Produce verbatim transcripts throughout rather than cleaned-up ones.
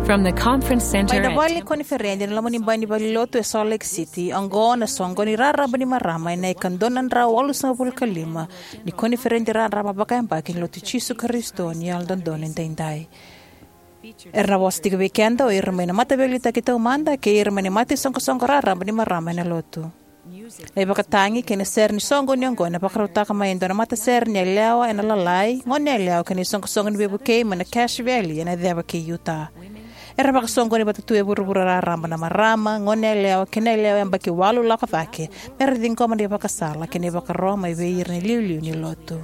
From the conference center Mai na at vale ni koniferedi ena loma ni bai ni valenilotu e Salt Lake City, oqo na soqoni raraba ni marama ena ika dua na drau walusagavulu ka lima ni koniferedi raraba vakayabaki ni Lotu i Jisu Karisito ni Yalododonu Edaidai. Era na vosa tiko vei keda o ira mai na mataveiliutaki taumada kei ira mai na mata isoqosoqo raraba ni marama ena Lotu. Na ivakatagi kei na sere ni soqoni oqo ena vakarautaka mai e dua na matasere ni yalewa ena Lalai, Goneyalewa kei na iSoqosoqo ni Veivukei mai na Cache Valley ena Yaceva kei Utah. Era vakasoqoni vata tu e vuravura raraba na marama, goneyalewa kei na yalewa yabaki walu lako cake, mera ciqoma na ivakasala kei na ivakaro mai vei ira na iliuliu ni Lotu.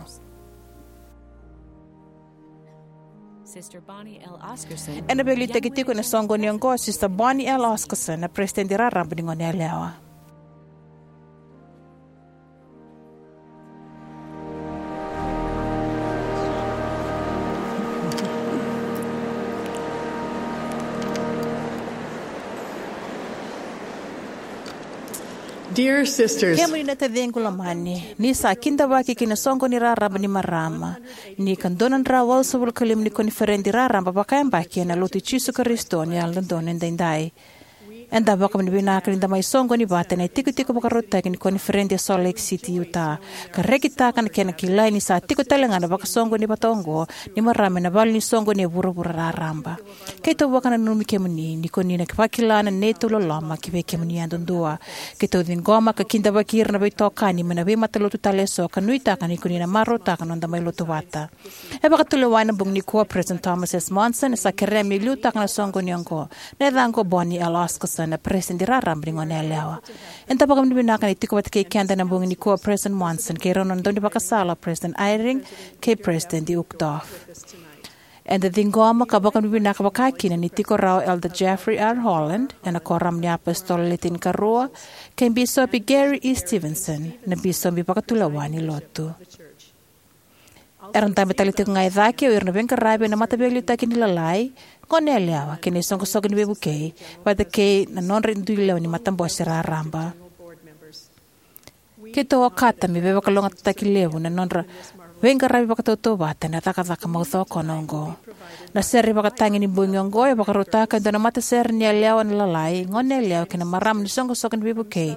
Sister Bonnie L. Oscarson. Ena veiliutaki tiko ena soqoni oqo o Sister Bonnie L. Oscarson, na peresitedi raraba ni Goneyalewa. Dear sisters, Kemuni na taciqu lomani, ni sa kidavaki ki na soqoni raraba ni marama ni ika dua na drau walusagavulu ka lima ni koniferedi raraba vakayabaki ena Lotu i Jisu Karisito ni Yalododonu Edaidai. Eda vakavinavinaka ni da mai soqoni vata ena itikotiko vakarautaki ni koniferedi e Salt Lake City, Utah, ka rekitaka na kena kilai ni sa tiko tale ga na vakasoqoni vata oqo ni marama ena vale ni soqoni e vuravura raraba. Keitou vakananumi kemuni ni ko ni na vakila na neitou loloma ki vei kemuni yadudua. Keitou ciqoma ka kidavaki ira na veitokani mai na veimatalotu tale eso ka nuitaka ni ko ni na marautaka na noda mai lotu vata. E vakatulewa ena bogi nikua o President Thomas S. Monson, e sa kerea me liutaka na soqoni oqo. Na yacaqu o Bonnie L. Oscarson, na peresitedi raraba ni Goneyalewa. Eda vakavinavinaka ni tiko vata kei keda ena bogi nikua o President Monson kei rau na nona daunivakasala o President Eyring kei President Uchtdorf. Eda ciqoma ka vakavinavinaka vakakina ni tiko rawa o Elder Jeffrey R. Holland, ena Kuoramu ni iApositolo Le Tinikarua, kei Bisopi Gary E. Stevenson, na bisopi vakatulewa ni Lotu. Era dabe tale tiko ga e cake o ira na veiqaravi ena Mataveiliutaki ni Lalai, Goneyalewa kei na iSoqosoqo ni Veivukei, vata kei na nodra dui lewe ni matabose raraba. Keitou okata me veivakalougatataki levu na nodra veiqaravi vakatautauvata ena cakacaka maucokona oqo. Na sere ivakatagi ni bogi oqo e vakarautaka e dua na matasere ni yalewa ena Lalai, Goneyalewa kei na marama ni Soqosoqo ni Veivukei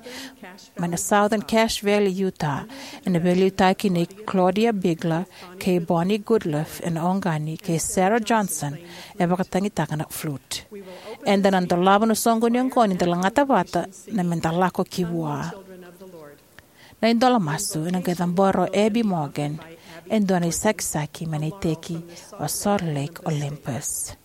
mai na Southern Cache Valley, Utah, ena veiliutaki nei Claudia Bigler kei Bonnie Goodliff ena oqani kei Sarah Johnson e vakatagitaka na flute. Eda na dolava na soqoni oqo ni da lagata vata na Meda Lako Ki Vua. Na idola masu ena qai cabora o Abby Morgan, e dua na isakisaki mai na iteki o Salt Lake Olympus.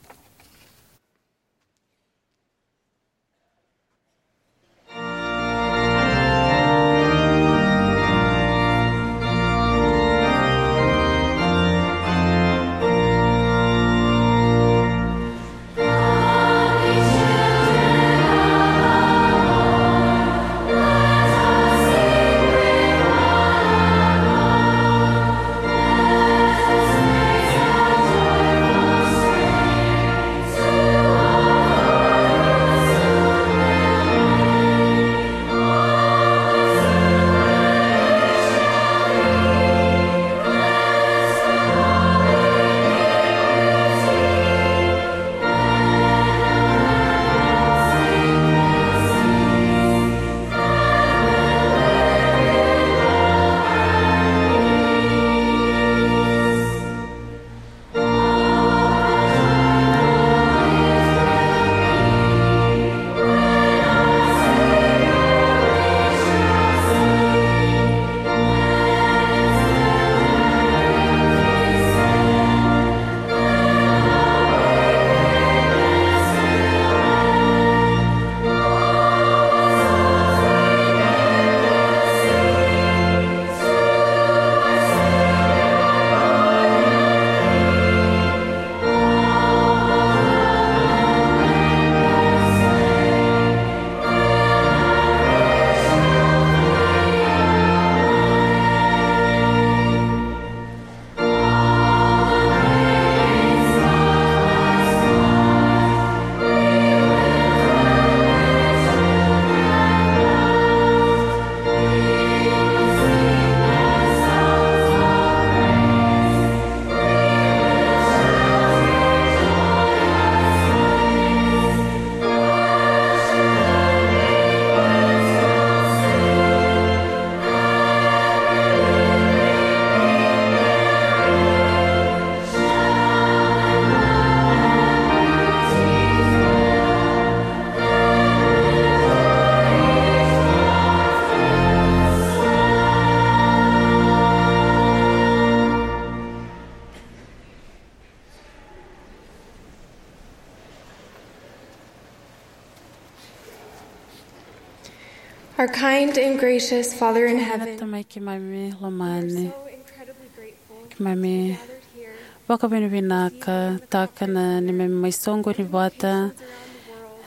Our kind and gracious Father in heaven, Tamai keimami lomani, so incredibly grateful keimami gathered here vakavinavinakataka na neimami mai soqoni vata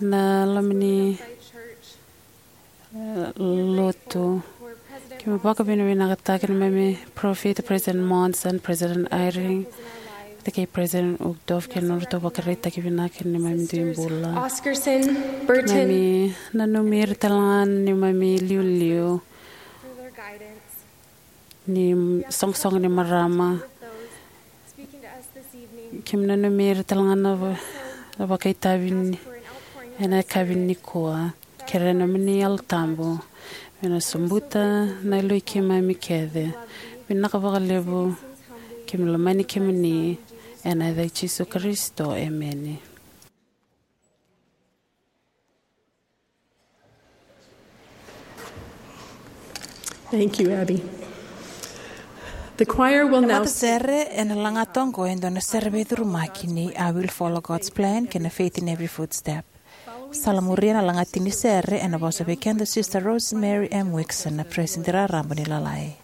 na loma ni, eh, lotu. Keimami vakavinavinakataka neimami parofita, President Monson, President Eyring, vata kei President Uchtdorf, kei na nodratou vakaraitaki vinaka ni neimami dui bula. Oscarson, Burton, keimami nanumi ira tale ga na neimami iliuliu ni soqosoqo ni marama. Keimami nanumi ira tale ga na va-, na vakaitavi ni, ena yakavi nikua. Kerea na nomuni Yalo Tabu me na sobuta na yaloi keimami kece. Vinaka vakalevu. Keimami lomani kemuni ena yaca i Jisu Karisito. Emeni. Thank you, Abby. The choir will now Matasere ena lagata oqo e dua na sere veicurumaki ni I Will Follow God's Plan kei na Faith in Every Footstep. Sa la muria na lagata ni sere ena vosa vei keda Sister Rosemary M Wixon, na Peresitedi Raraba ni Lalai.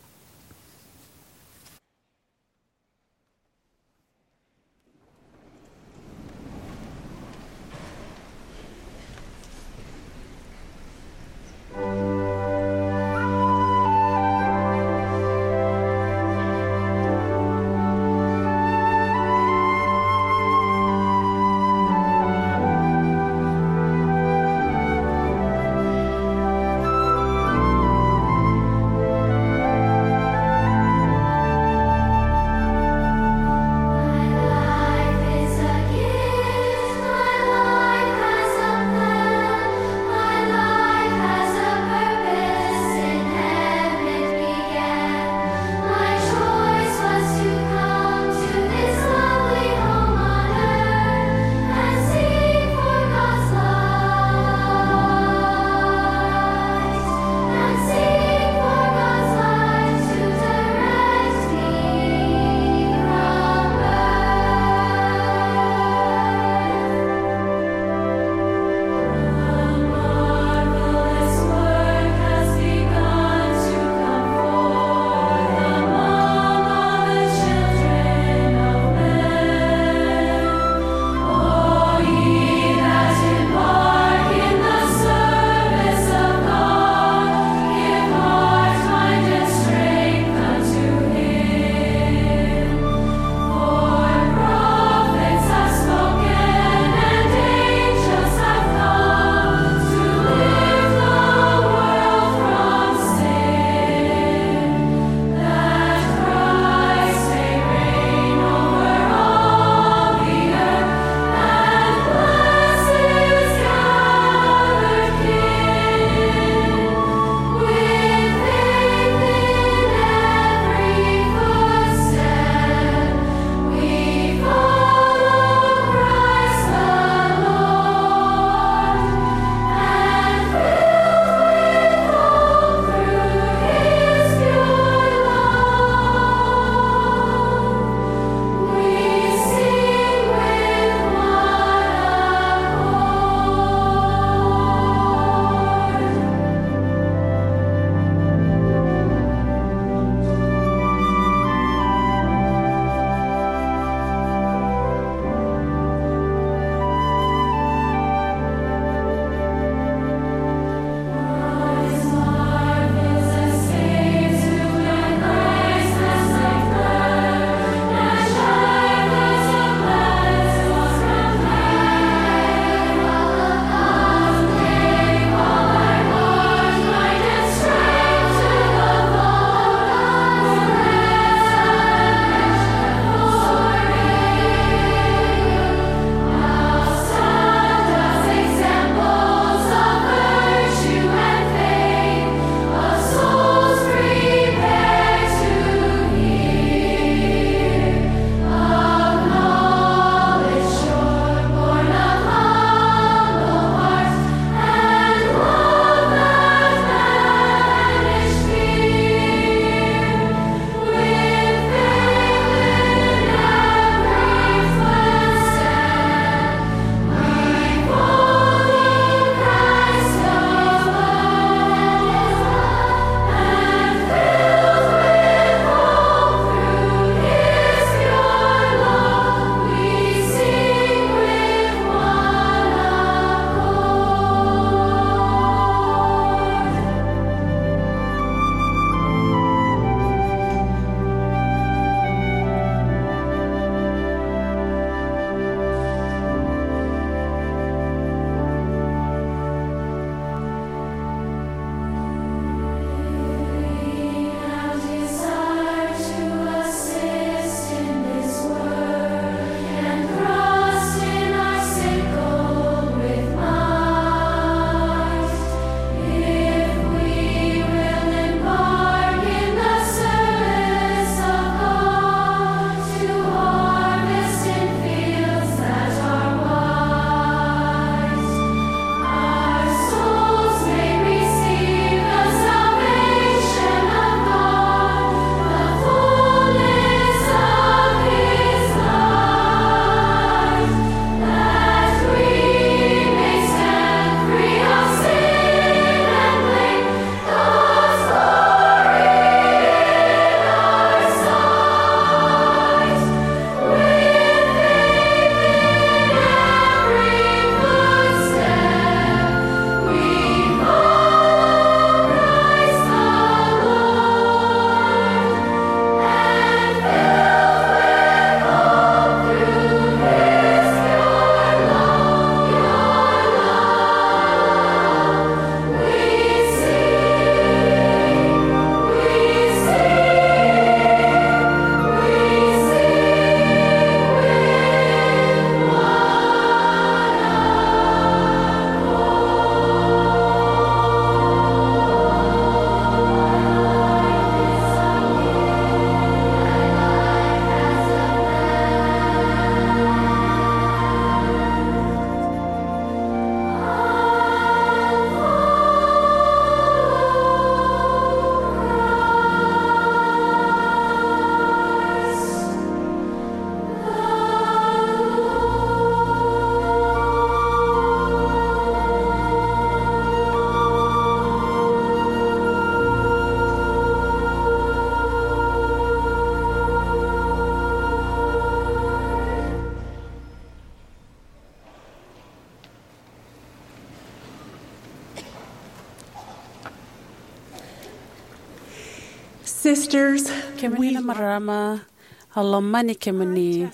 Sisters, kemuni na marama, au lomani kemuni.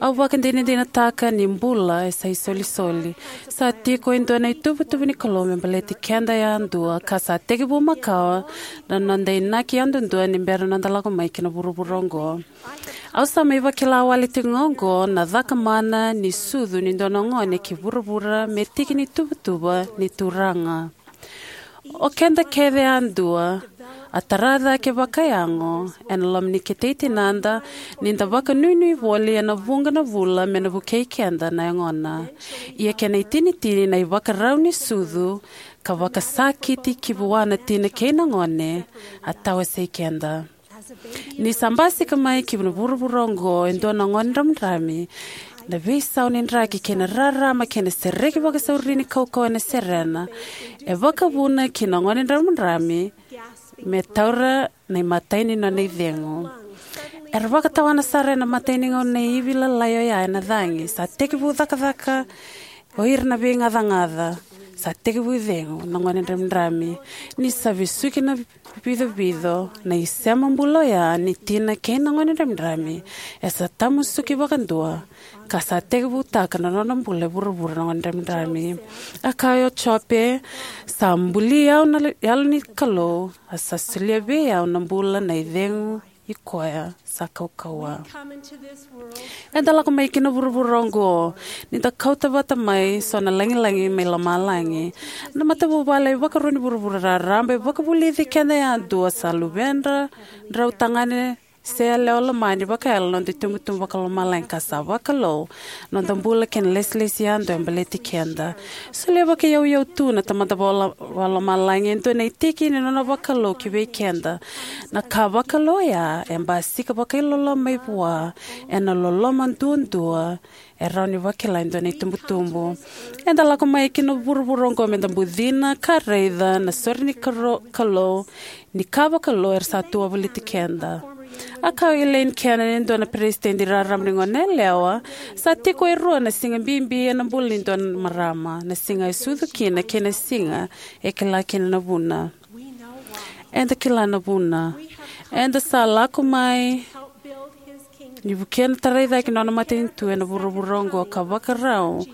Au vakadinadinataka ni bula e sa isolisoli. Sa tiko e dua na ituvatuva ni Kalou me baleti keda yadua, ka sa tekivu makawa na noda inaki yadudua ni bera noda lako mai ki na vuravura oqo. Au sa mai vakila wale tiko ga oqo na cakamana ni sucu ni dua na gone ki vuravura me tiki ni tuvatuva ni Turaga. O keda kece yadua a tara cake vakayago ena loma ni ketei tinada, ni da vakanuinui voli ena vuqa na vula me na vukei keda na yagona. Ia kena itinitini na ivakarau ni sucu ka vakasakiti ki vua na tina kei na gone a tawasei keda. Ni sa basika mai ki na vuravura oqo e dua na gone dramidrami, na veisau ni draki kei na rarama kei na sereki vakasauri ni kaukauwa ena serena e vakavuna ki na gone dramidrami me taura na imatai ni nona icegu. Era vakatawana sara ena imatai ni gauna na ivi lalai oya ena cagi. Sa tekivu cakacaka o ira na veigacagaca. Sa tekivu icegu na gone dramidrami. Ni sa vesuki na vicovico na isema bula oya ni tina kei na gone dramidrami, e sa tamusuki vakadua ka sa tekivutaka na nona bula e vuravura na gone dramidrami. A kaya o Jope, sa buli au na Yalo ni Kalou, a sa solia vei au na bula na icegu i koya sa kaukauwa. Eda lako mai ki na vuravura oqo ni da kauta vata mai so na lagilagi mai lomalagi. Na matavuvale e vakarua ni vuravura raraba e vakavulici keda yadua sa luvedra, drau tagane se yalewa lomani vakayalo na noda itubutubu vakalomalagi, ka sa vakalou na noda bula kei na lesilesi yadua e baleti keda. Solia vakayauyau tu na Tamada vakalo-, vakalomalagi e dua na itiki ni nona vakalou ki vei keda. Na ka vakalou oya e basika vakailoloma mai vua ena loloma duadua e rawa ni vakila e dua na itubutubu. Eda lako mai ki na vuravura oqo meda bucina ka raica na sore ni karo-, Kalou, ni ka vakalou era sa tu wavoliti keda. A kaya o Elaine Cannon, e dua na peresitedi raraba ni goneyalewa, sa tiko e rua na siga bibi ena bula ni dua na marama, na siga e sucu kina kei na siga e kila kina na vuna. Eda kila na vuna. Eda sa lako mai ni vukea na tarai cake ni nona matanitu ena vuravura oqo ka vakarau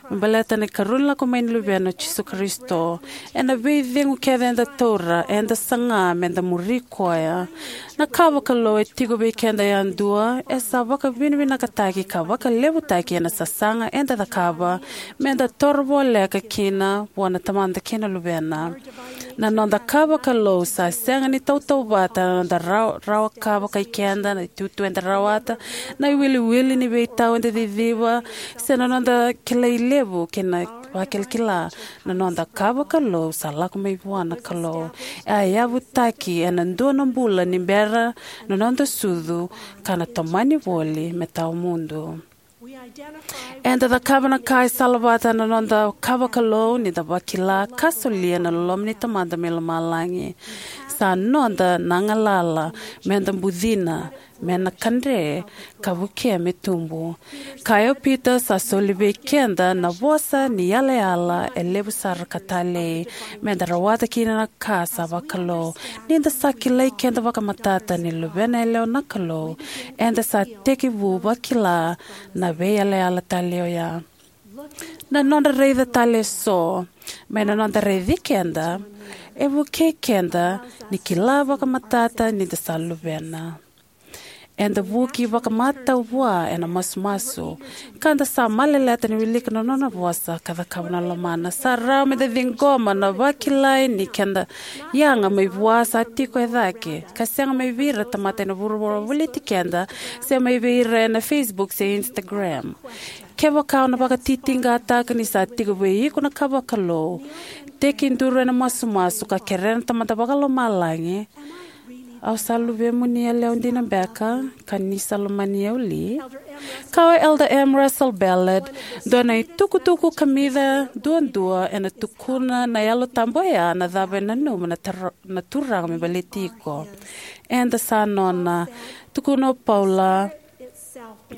me baleta na ikarua ni lako mai ni Luvena o Jisu Karisito. Ena veicegu kece eda taura, eda saga meda muri koya. Na ka vakalou e tiko vei keda yadua e sa vakavinavinakataki ka vakalevutaki ena sasaga eda cakava meda toro voleka kina vua na Tamada kei na Luvena. Na noda ka vakalou sa sega ni tautauvata na noda rawa, rawa ka vakai keda, na itutu eda rawata, na iwiliwili ni veitau eda ciciva, se na noda kilai levu kei na vakilakila. Na noda ka vakalou sa lako mai vua na Kalou. E a yavutaki ena dua na bula ni bera na noda sucu ka na tomani voli me tawamudu. Eda cakava na ka e salavata na noda ka vakalou ni da vakila ka solia na loloma ni Tamada mai lomalagi. Sa noda na galala meda bucina, me na kadre ka vukea me tubu. Kaya o Pita, sa soli vei keda na vosa ni yalayala e levu sara ka talei, meda rawata kina na ka sa vakalou. Ni da sa kilai keda vakamatata ni luvena yalewa na Kalou, eda sa tekivu vakila na veiyalayala talei oya. Na noda raica tale eso mai na noda raici keda e vukei keda ni kila vakamatata ni da sa luvena. Eda vuki vakamatau vua ena masumasu, ka da sa maleleta ni wilika na nona vosa ka cakava na lomana. Sa rawa meda ciqoma na vakilai ni keda yaga mai vua sa tiko e cake, ka sega mai vei ira tamata ena vuravura voliti keda, se mai vei ira ena Facebook se Instagram. Kevaka o na vakatitiqataka ni sa tiko vei iko na ka vakalou, tekiduru ena masumasu ka kerea na Tamada Vakalomalagi, au sa luvemuni yalewa dina beka, ka ni sa lomani au li? Kaya o Elder M. Russell Ballard, dua na itukutuku kamica duadua ena tukuna na Yalo Tabu oya na cava e nanuma na taro-, na Turaga me baleti iko. Eda sa nona, tukuna o Paula,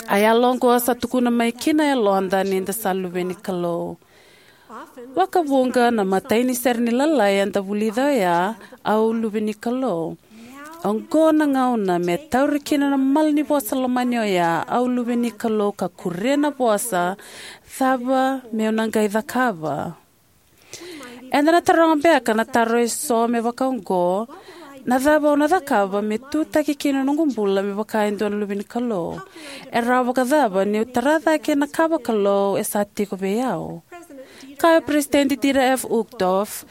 a yalo oqo sa tukuna mai ki na yaloda ni da sa luve ni Kalou. Vakavuqa na imatai ni sere ni lalai eda vulica oya, au luve ni Kalou. Oqo na gauna me tauri kina na malanivosa lomani oya, au luve ni Kalou, ka kuria na vosa: Cava meu na qai cakava? Eda na taroga beka na taro eso me vaka oqo: Na cava au na cakava me tutaki kina na noqu bula me vaka e dua na luve ni Kalou? E rawa vakacava niu tara cake na ka vakalou e sa tiko vei au? Kaya o Peresitedi Dieter F. Uchtdorf,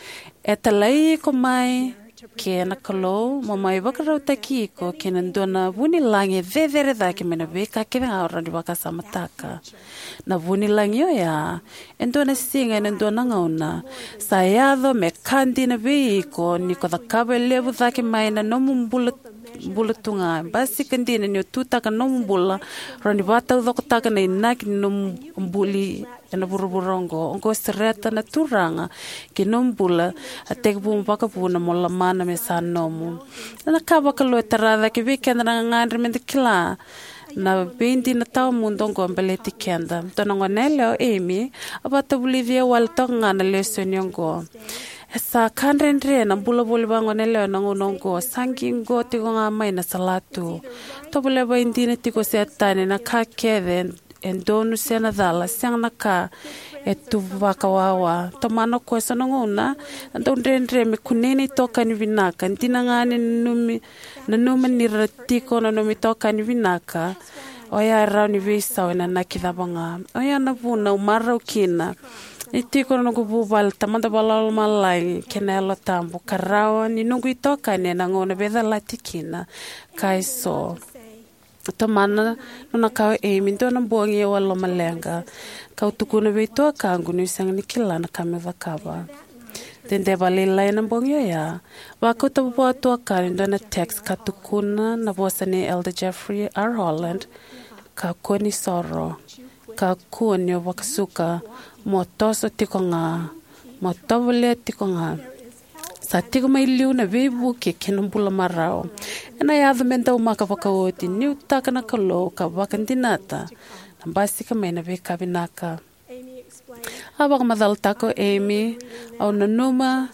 e talai iko mai ke na Kalou mo mai vakarautaki iko ki na dua na vunilagi e cecere cake mai na veika kece ga o rawa ni vakasamataka. Na vunilagi oya, e dua na siga ena dua na gauna, sa yaco me ka dina vei iko ni ko cakava e levu cake mai na nomu bula, bula tu ga. E basika dina ni o tutaka na nomu bula, rawa ni vakataucokotaka na inaki ni nomu buli ena vuravura oqo. Oqo e sereta na Turaga ki na nomu bula, a tekivu mo vakavuna mo lomana me sa nomu. Na ka vakalou e tara cake vei keda na gagadre meda kila na veidina tawamudu oqo baleti keda. Dua na goneyalewa, o Amy, a vakatavulici au wale toka ga na lesoni oqo. E sa ka dredre na bula voli vakagoneyalewa ena gauna oqo. Sa qiqo tiko ga mai na salatu. Tovolea vakaidina tiko o Setani na ka kece e donu se na cala, sega na ka e tu vakawawa. Tomana o koya eso na gauna, na dau dredre me kunei na itokani vinaka. Dina ga ni nanumi, nanuma ni ra tiko na nomu itokani vinaka, oya e rawa ni veisau ena inaki cava ga. Oya na vuna au marau kina ni tiko na noqu vuvale, Tamada Vakalomalagi kei na Yalo Tabu, ka rawa ni noqu itokani ena gauna veicalati kina. Ka eso. Tomana nona kaya o Amy, dua na bogi au a lomaleqa, kau tukuna vei tuakaqu niu sega ni kila na ka meu cakava. Dede vakalailai ena bogi oya, vakauta vua o tuakana e dua na text ka tukuna na vosa nei Elder Jeffrey R. Holland: Kakua ni soro. Kakua ni o vakasuka. Mo toso tiko ga. Mo tovolea tiko ga. Sa tiko mai liu na veivuke kei na bula marau. Ena yaco me daumaka vakaoti, nuitaka na Kalou ka vakadinata na basika mai na veika vinaka. A vakamacalataka o Amy, au nanuma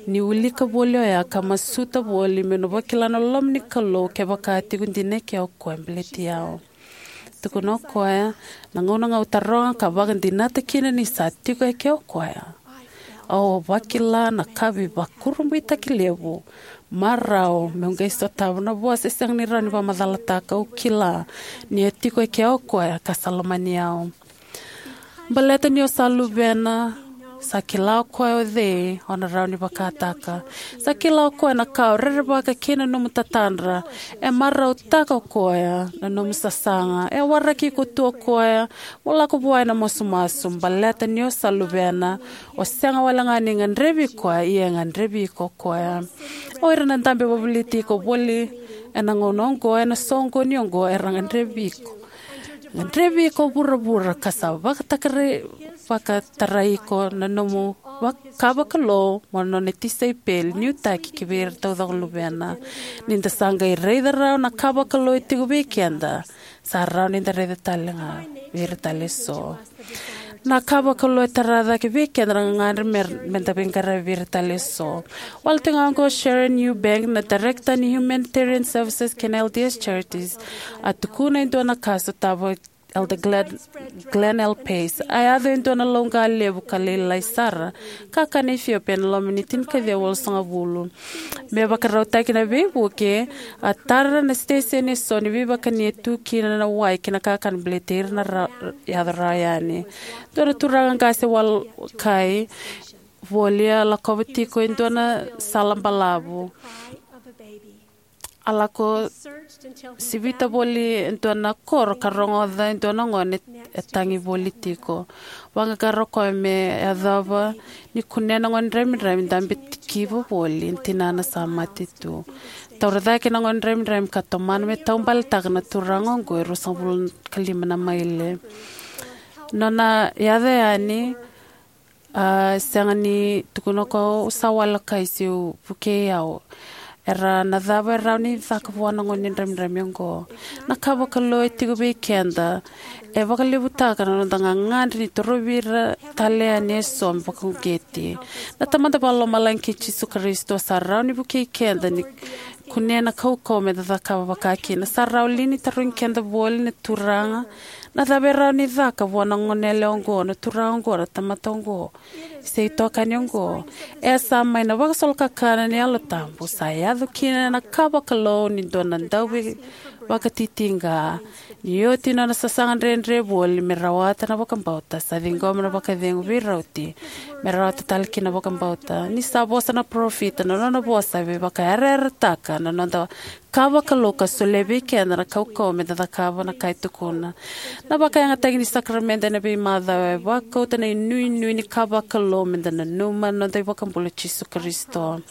niu wilika voli oya ka masuta voli meu na vakila na loloma ni Kalou kevaka a tiko dina eke o koya baleti au. Tukuna o koya, na gauna ga au taroga ka vakadinata kina ni sa tiko eke o koya, au vakila na ka veivakurabuitaki levu, marau meu qai sotava na vosa e sega ni rawa ni vakamacalataka. Au kila ni a tiko eke o koya ka sa lomani au. Baleta ni o sa luvena, sa kila o koya o cei o na rawa ni vakataka. Sa kila o koya na ka o rerevaka kei na nomu tatadra. E marautaka o koya na nomu sasaga. E waraki iko tu o koya mo lako vua ena masumasu. Baleta ni o sa luvena, o sega wale ga ni gadrevi koya, ia e gadrevi iko o koya. O ira na dabe vakavoliti iko voli ena gauna oqo, ena soqoni oqo, era gadrevi iko. Gadrevi iko vuravura ka sa vakatakarai, vakatarai iko na nomu vak-, ka vakalou mo nona tisaipeli nuitaki ki vei ira taucoko luvena. Ni da sa qai raica rawa na ka vakalou e tiko vei keda, sa rawa ni da raica tale ga vei ira tale eso. Na ka vakalou e tara cake vei keda na gagadre me, me da veiqaravi vei ira tale eso. Wale tiko ga oqo o Sharon Eubank, na Director ni Humanitarian Services kei na L D S Charities, a tukuna e dua na ka sotava Elder Glenn, Glenn L. Pace. A yaco e dua na lauqa levu ka lailai sara, kakana Ethiopia ena loma ni tinikaciwa walusagavulu. Me vakarautaki na veivuke, a tara na siteseni eso ni veivakani e tu kina na wai kei na kakana baleti ira na ra-, yaco rawa yani. Dua na turaga qase walokai voli a lakova tiko e dua na sala balavu. A lako sivita voli e dua na koro ka rogoca e dua na gone e tagi voli tiko. Vaqaqara o koya me yacova ni kunea na gone dramidramita, dabe tikiva voli na tinana sa mate tu. Taura cake na gone dramidramita ka tomana me taubaletaka na turaga oqo e ruasagavulu ka lima na maile. Nona yaco yani, a sega ni tukuna o koya, au sa walokai, se vukei au. Era na cava e rawa ni caka vua na gone dramidramita oqo? Na ka vakalou e tiko vei keda e vakalevutaka na noda gagadre ni torovi ira tale yani eso me vakauqeti. Na Tamada Vakalomalagi kei Jisu Karisito sa rawa ni vukei keda ni kunea na kaukauwa me da cakava vakakina. Sa rawa li ni tarogi keda voli na Turaga, na cava e rawa ni caka vua na goneyalewa oqo, na turaga oqo, na tamata oqo? Se itokani oqo, e sa mai na vakasolokakana ni Yalo Tabu, sa yaco kina na ka vakalou ni dua na dauveivakatitiqa. Ni oti nona sasaga dredre voli me rawata na vakabauta, sa ciqoma na vakacegu veirauti me rawata tale kina na vakabauta. Ni sa vosa na parofita, na nona vosa e veivakayarayarataka na noda ka vakalou ka solia vei keda na kaukauwa me da cakava na ka e tukuna. Na vakayagataki ni sakaramede ena veimacawa e vakauta na inuinui ni ka vakalou me da nanuma na noda iVakabula o Jisu Karisito.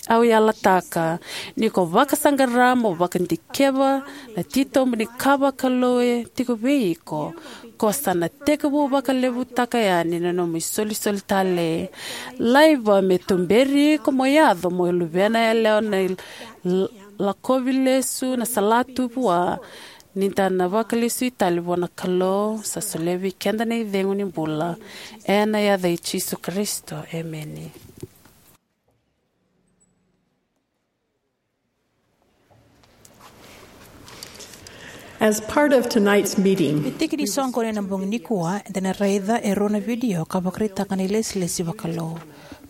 Au yalataka ni ko vakasaqara mo vakadikeva na titobu ni ka vakalou e tiko vei iko, ko sa na tekivu vakalevutaka yani na nomu isolisoli talei. Laiva me tuberi iko mo yaco mo luvena yalewa na lakovi lesu na salatu vua, ni da na vakalesui tale vua na Kalou sa solia vei keda na icegu ni bula. Ena yaca i Jisu Karisito, emeni. As part of tonight's meeting, e tiki ni soqoni ena bogi nikua, eda na raica e rua na vidio ka vakaraitaka na ilesilesi vakalou,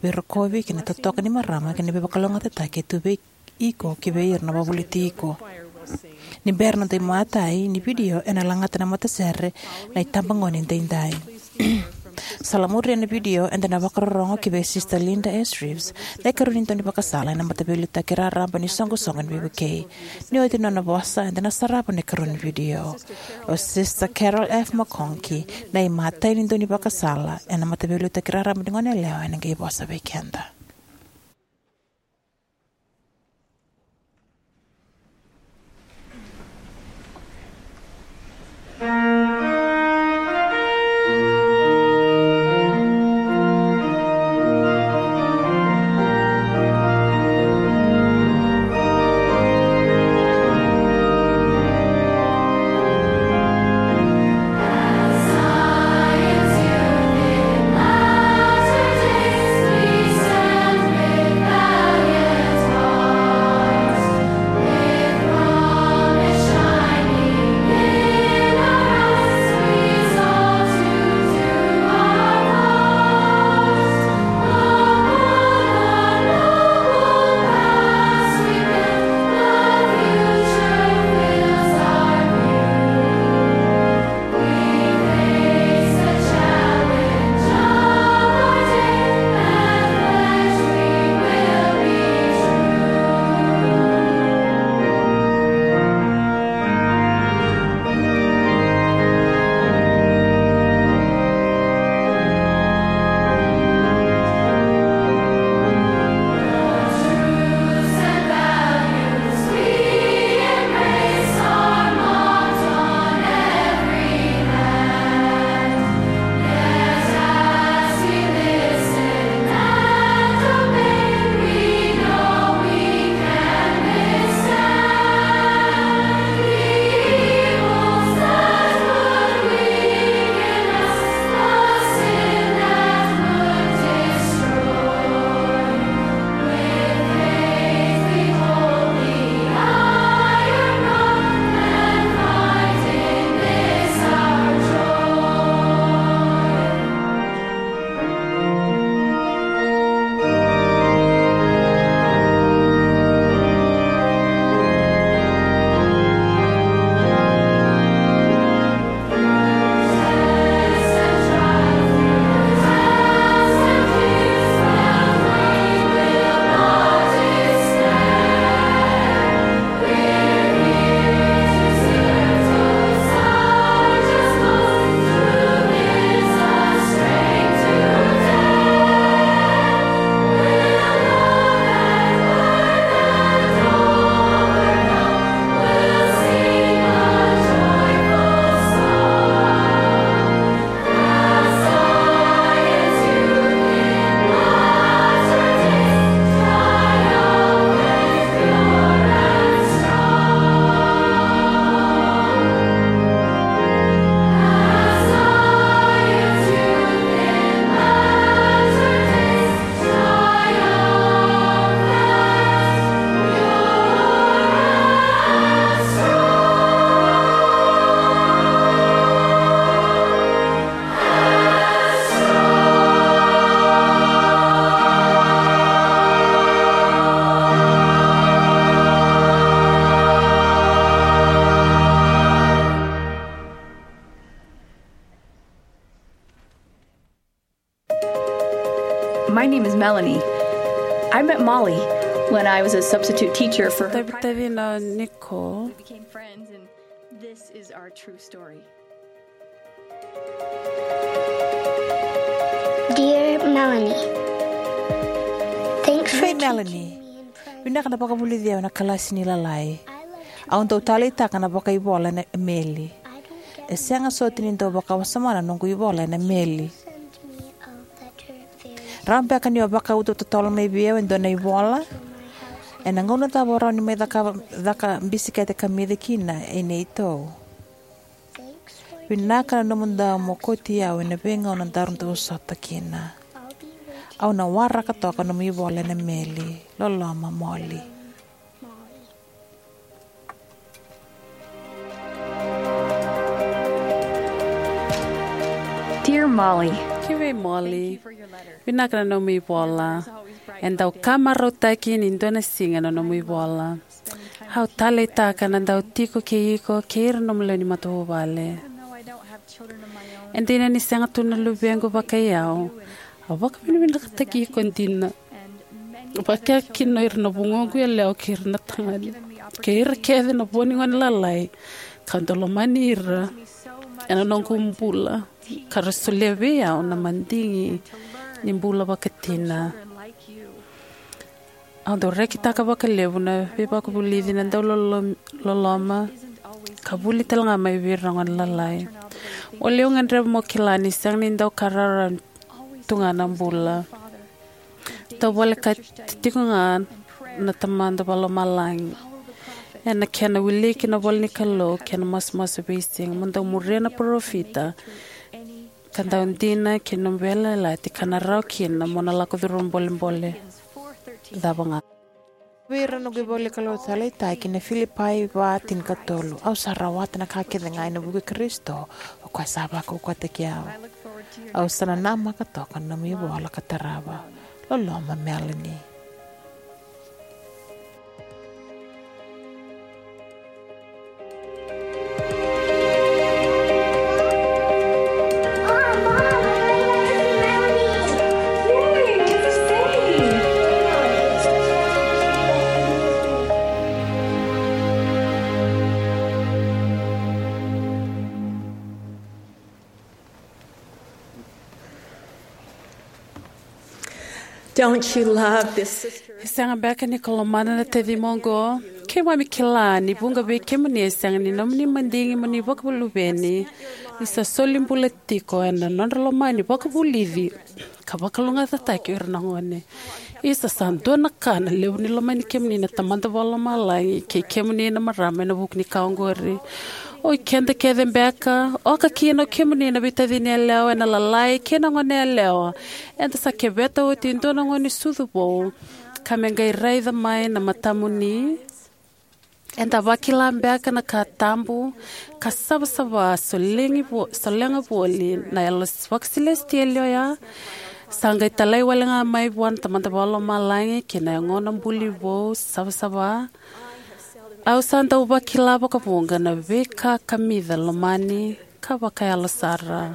veirokovi kei na totoka ni marama kei na veivakalougatataki e tu vei iko kei vei ira na wavoliti iko. Ni bera na noda imatai ni vidio, ena lagata na matasere na itabagone edaidai. Sa lamuria na vidio, eda na vakarorogo ki vei Sister Linda S. Reeves, na ikarua ni daunivakasala ena Mataveiliutaki Raraba ni Soqosoqo ni Veivukei. Ni oti na nona vosa, eda na sarava na ikarua ni vidio. O Sister Carol F. McConkie, na imatai ni daunivakasala ena Mataveiliutaki Raraba ni Goneyalewa, ena qai vosa vei keda. My name is Melanie. I met Molly when I was a substitute teacher for her. Tavitavi na Nicole. We became friends, and this is our true story. Dear Melanie, thanks for Hey, teaching Melanie. Me in private. Vinaka na vakavulici au ena kalasi ni lalai. I love Au dau taleitaka na vakaivola ena meli. I don't get E sega soti ni dau vakawasoma na noqu ivola ena meli. Send me a letter very Rawa beka ni o vakauta totolo mai vei au e dua na ivola? Ena gauna cava o rawa ni mai caka, caka bisikete kamica kina e neitou? Vinaka na nomu dau mo kauti au ena veigauna daru dau sota kina. Au na waraka toka nomu ivola ena meli. Loloma, Molly. Dear Molly, Ki vei Molly, vinaka na nomu ivola. E dau ka marautaki ni dua na siga na nomu ivola. Au taleitaka na dau tiko kei iko kei ira nomu lewe ni matavuvale. E dina ni sega tu na luvequ vakai au, au vakavinavinakataki iko dina. Vakakina ira na vugoqu yalewa kei ira na tagane kei ira kece na vo ni gone lalai ka dau lomani ira ena noqu bula, ka ra solia vei au na madigi ni bula vakatina. Au dau rekitaka vakalevu na veivakavulici na dau lolo-, loloma ka vuli tale ga mai vei ira na gone lalai. O levu gadreva mo kila ni sega ni dau ka rawarawa tu ga na bula. Dau volekati tiko ga na Tamada Vakalomalagi ena kena wiliki na ivola ni Kalou kei na masumasu veisiga. Mo dau muria na parofita ka dau dina kei na nomu veiyalayalati ka na rawa kina mo na lako curuma bolebole cava ga. Vei ira na noqu ivola ni Kalou taleitaki na Filipai va tinikatolu. Au sa rawata na ka kece ga ena vuku i Karisito, o koya sa vakaukauwataki au. Au sa nanamaka toka na nomu ivola ka tarava. Loloma, Melanie. Don't you love this sister? E sega beka ni ko lomana na tacima oqo? Keimami kila ni vuqa vei kemuni e sega ni nomuni madigi mo ni vakaluveni, ni sa soli bula tiko ena nodra lomani vakavulici ka vakalougatataki ira na gone. Isa, sa dua na ka na levu ni lomani kemuni na Tamada Vakalomalagi kei kemuni na marama ena vuku ni ka oqori. O i keda kece beka, oka kina o kemuni na veitacini yalewa ena lalai kei na gone yalewa, eda sa keveta oti e dua na gone sucu vou ka me qai raica mai na matamuni. Eda vakila beka na ka tabu ka savasava solegi vo-, solega voli na yalo vakasilesitieli oya? Sa qai talai wale ga mai vua na Tamada Vakalomalagi ki na yagona buli vou savasava. Au sa dau vakila vakavuqa na veika kamica lomani ka vakayalo sara.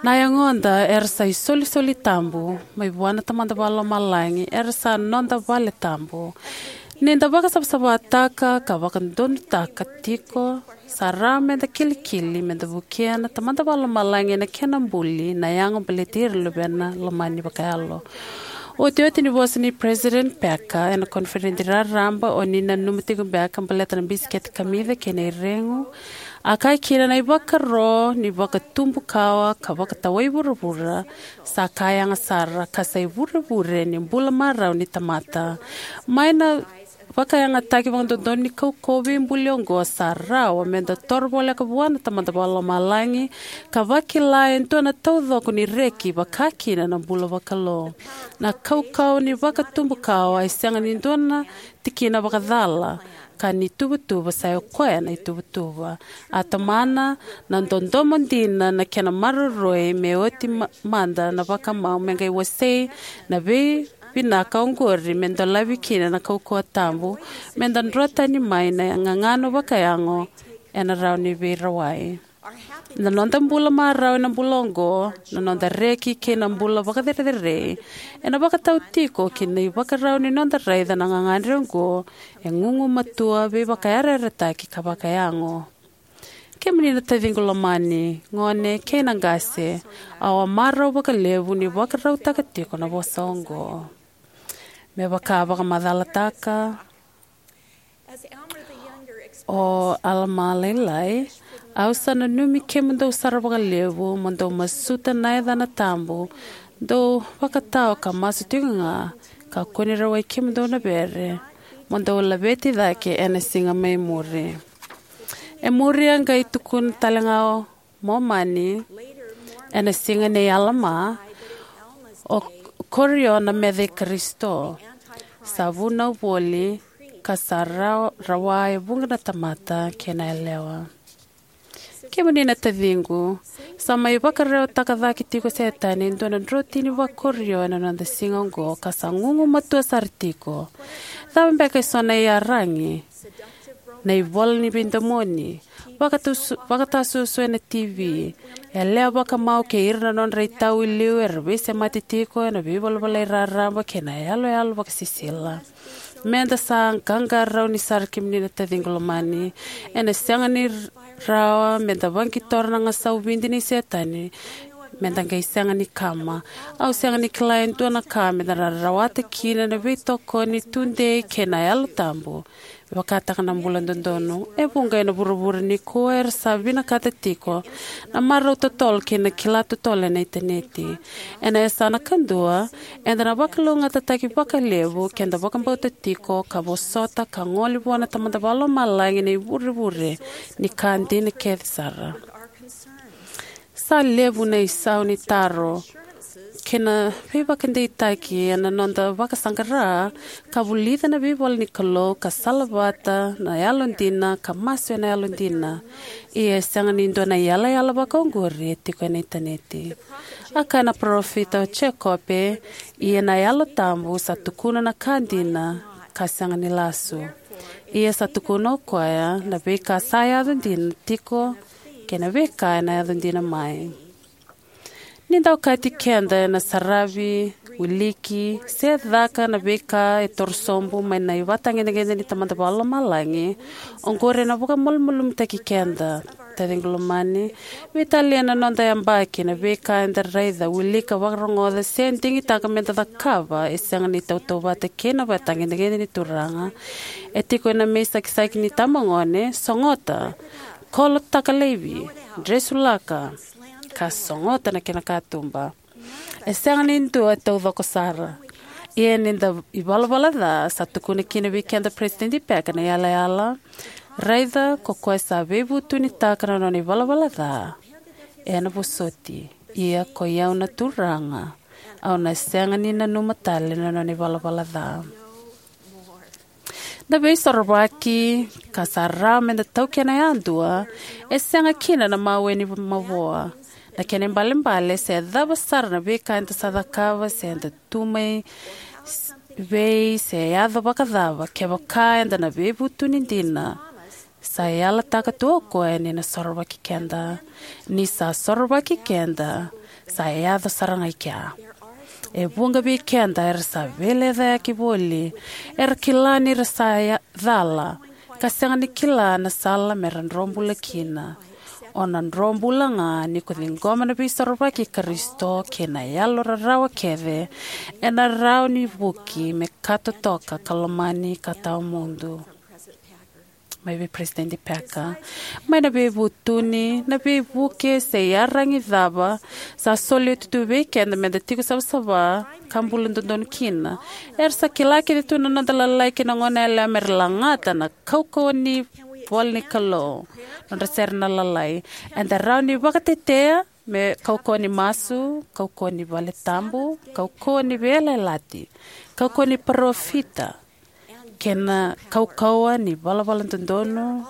Na yagoda era sa isolisoli tabu mai vua na Tamada Vakalomalagi, era sa noda vale tabu. Ni da vakasavasavataka ka vakadodonutaka tiko, sa rawa meda kilikili meda vukea na Tamada Vakalomalagi ena kena buli na yago baleti ira na luvena lomani vakayalo. Otioti ni vosa nei President Packer ena koniferedi raraba, o ni nanuma tiko beka baleta na bisikete kamica kei na iregu. A kaya kina, na ivakaro ni vakatubu kawa ka vakatawai vuravura sa ka yaga sara, ka sa ivurevure ni bula marau ni tamata. Mai na vakayagataki vakadodonu ni kaukauwa veibuli oqo, sa rawa meda toro voleka vua na Tamada Vakalomalagi ka vakila e dua na taucoko ni reki vaka kina na bula vakalou. Na kaukauwa ni vakatubu kawa e sega ni dua na tikina vakacala, ka ni tuvatuva sa i koya na ituvatuva. A tomana na dodomo dina na kena maroroi me oti ma-, mada na vakamau me qai wasei na veivinaka oqori me dolavi kina na kaukauwa tabu, meda dro tani mai na gagano vakayago ena rawa ni veirawai. Na noda bula marau ena bula oqo, na noda reki kei na bula vakacerecerei, ena vakatau tiko ki na ivakarau ni noda raica na gagadre oqo e gugumatua, veivakayarayarataki ka vakayago. Kemuni na taciqu lomani, gone kei na qase, au a marau vakalevu ni vakarautaka tiko na vosa oqo. Me vaka vakamacalataka o Alama Lailai, au sa nanumi kemudou sara vakalevu mo dou masuta na yacana tabu, dou vakatao ka masu tiko ga, ka kua ni rawai kemudou na vere, mo dou laveti cake ena siga mai muri. E muri a qai tukuna tale ga o Momani, ena siga nei Alama, o Korio na meca i Karisito, sa vunau voli, ka sa ra-, rawa e vuqa na tamata kei na yalewa. Kemuni na taciqu, sa mai vakarewataka cake tiko o Setani e dua na drotini vakorio ena noda siga oqo, ka sa gugumatua sara tiko. Cava beka eso na iyaragi? Na ivola ni veidomoni, vakatusu-, vakatasuasua ena T V, yalewa vakamau kei ira na nodra itau i liu era veisemati tiko ena veivalavala raraba kei na yaloyalo vakasisila. Meda sa qaqarauni sara, kemuni na taciqu lomani. Ena sega ni rawa meda vaqitora na gasau vidi nei Setani, meda qai sega ni kama. Au sega ni kila e dua na ka meda na rawata kina na veitokoni tudei kei na Yalo Tabu, vakataka na bula dodonu. E vuqa ena vuravura nikua era sa vinakata tiko na marau totolo kei na kila totolo ena initaneti. Ena yasana kadua, eda na vakalougatataki vakalevu keda vakabauta tiko ka vosota ka gole vua na Tamada Vakalomalagi na ivurevure ni ka dina kece sara. Sa levu na isau ni taro kei na veivakadeitaki ena noda vakasaqara ka vulica na veivola ni Kalou, ka salavata na yalodina, ka masu ena yalodina. Ia e sega ni dua na iyalayala vakaoqori e tiko ena initaneti. A kaya na parofita o Jekope, ia na Yalo Tabu sa tukuna na ka dina ka sega ni lasu. Ia sa tukuna o koya na veika sa yaco dina tiko kei na veika ena yaco dina mai. Ni da okati keda ena saravi, wiliki, se caka na veika e torosobu mai na ivakatagedegede ni Tamada Vakalomalagi, oqori ena vakamalumalumutaki keda. Taciqu lomani, veitalia na noda yabaki, na veika eda raica, wilika, vakarogoca, se digitaka meda cakava, e sega ni tautauvata kei na ivakatagedegede ni Turaga. E tiko ena mai sakisaki ni itabagone, sogota, kolotaka laivi, dresulaka, ka sogota na kena katuba. E sega ni dua e taucoko sara. Ia ni da ivalavala ca, sa tukuna kina vei keda Peresitedi Packer na iyalayala: Raica, ko koya sa veivutunitaka na nona ivalavala ca, ena vosoti. Ia ko i au na Turaga, au na sega ni nanuma tale na nona ivalavala ca. Na veisorovaki ka sa rawa meda taukena yadua e sega kina na mawe ni mavoa. Na kena ibalebale, se cava sara na veika eda sa cakava, se eda tu mai s-, vei, se yaco vakacava, kevaka eda na veivutuni dina, sa yalataka tu o koya ni na sorovaki keda. Ni sa sorovaki keda, sa yaco sara ga i kea. E vuqa vei keda era sa veilecayaki voli, era kila ni ra sa ya-, cala, ka sega ni kila na sala mera dro bula kina. O na dro bula ga ni ko ciqoma na veisorovaki i Karisito kei na yalo rarawa kece, ena rawa ni vuki me ka totoka, ka lomani, ka tawamudu. Mai vei Peresitedi Packer. Mai na veivutuni, na veivuke, se iyaragi cava sa soli oti tu vei keda meda tiko savasava ka bula dodonu kina. Era sa kila kece tu na noda lalai kei na goneyalewa mera lagata na kaukauwa ni ivola ni Kalou, nodra sere na lalai. Eda rawa ni vakatetea me kaukauwa ni masu, kaukauwa ni vale tabu, kaukauwa ni veiyalayalati, kaukauwa ni parofita, kei na kaukauwa ni valavala dodonu.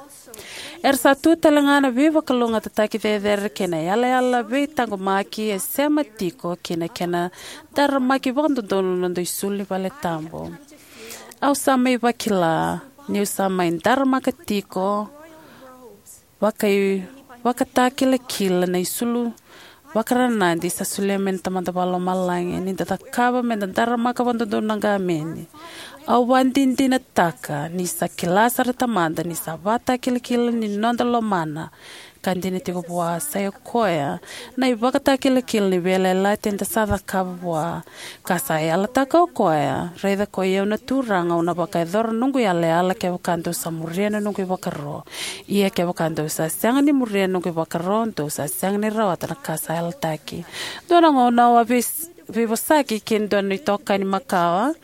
Era sa tu tale ga na veivakalougatataki cecere kei na yalayala veitaqomaki e sema tiko kei na kena daramaki vakadodonu na noda isulu ni vale tabu. Au sa mai vakila niu sa mai daramaka tiko vakai Vakatakilakila na isulu vakaranadi sa solia mai na Tamada Vakalomalagi ni da cakava me da daramaka vakadodonu na qameni. Au vakadinadinataka ni sa kila sara Tamada ni sa vakatakilakila ni noda lomana, ka dina tiko vua sa i koya na ivakatakilakila ni veiyalayalati eda sa cakava vua. Ka sa yalataka o koya, raica koi au na Turaga, au na vakayacora na noqu yalayala kevaka dou sa muria na noqu ivakaro. Ia kevaka dou sa sega ni muria na noqu ivakaro, dou sa sega ni rawata na ka sa yalataki. Dua na gauna au a veis- veivosaki kei dua na itokani makawa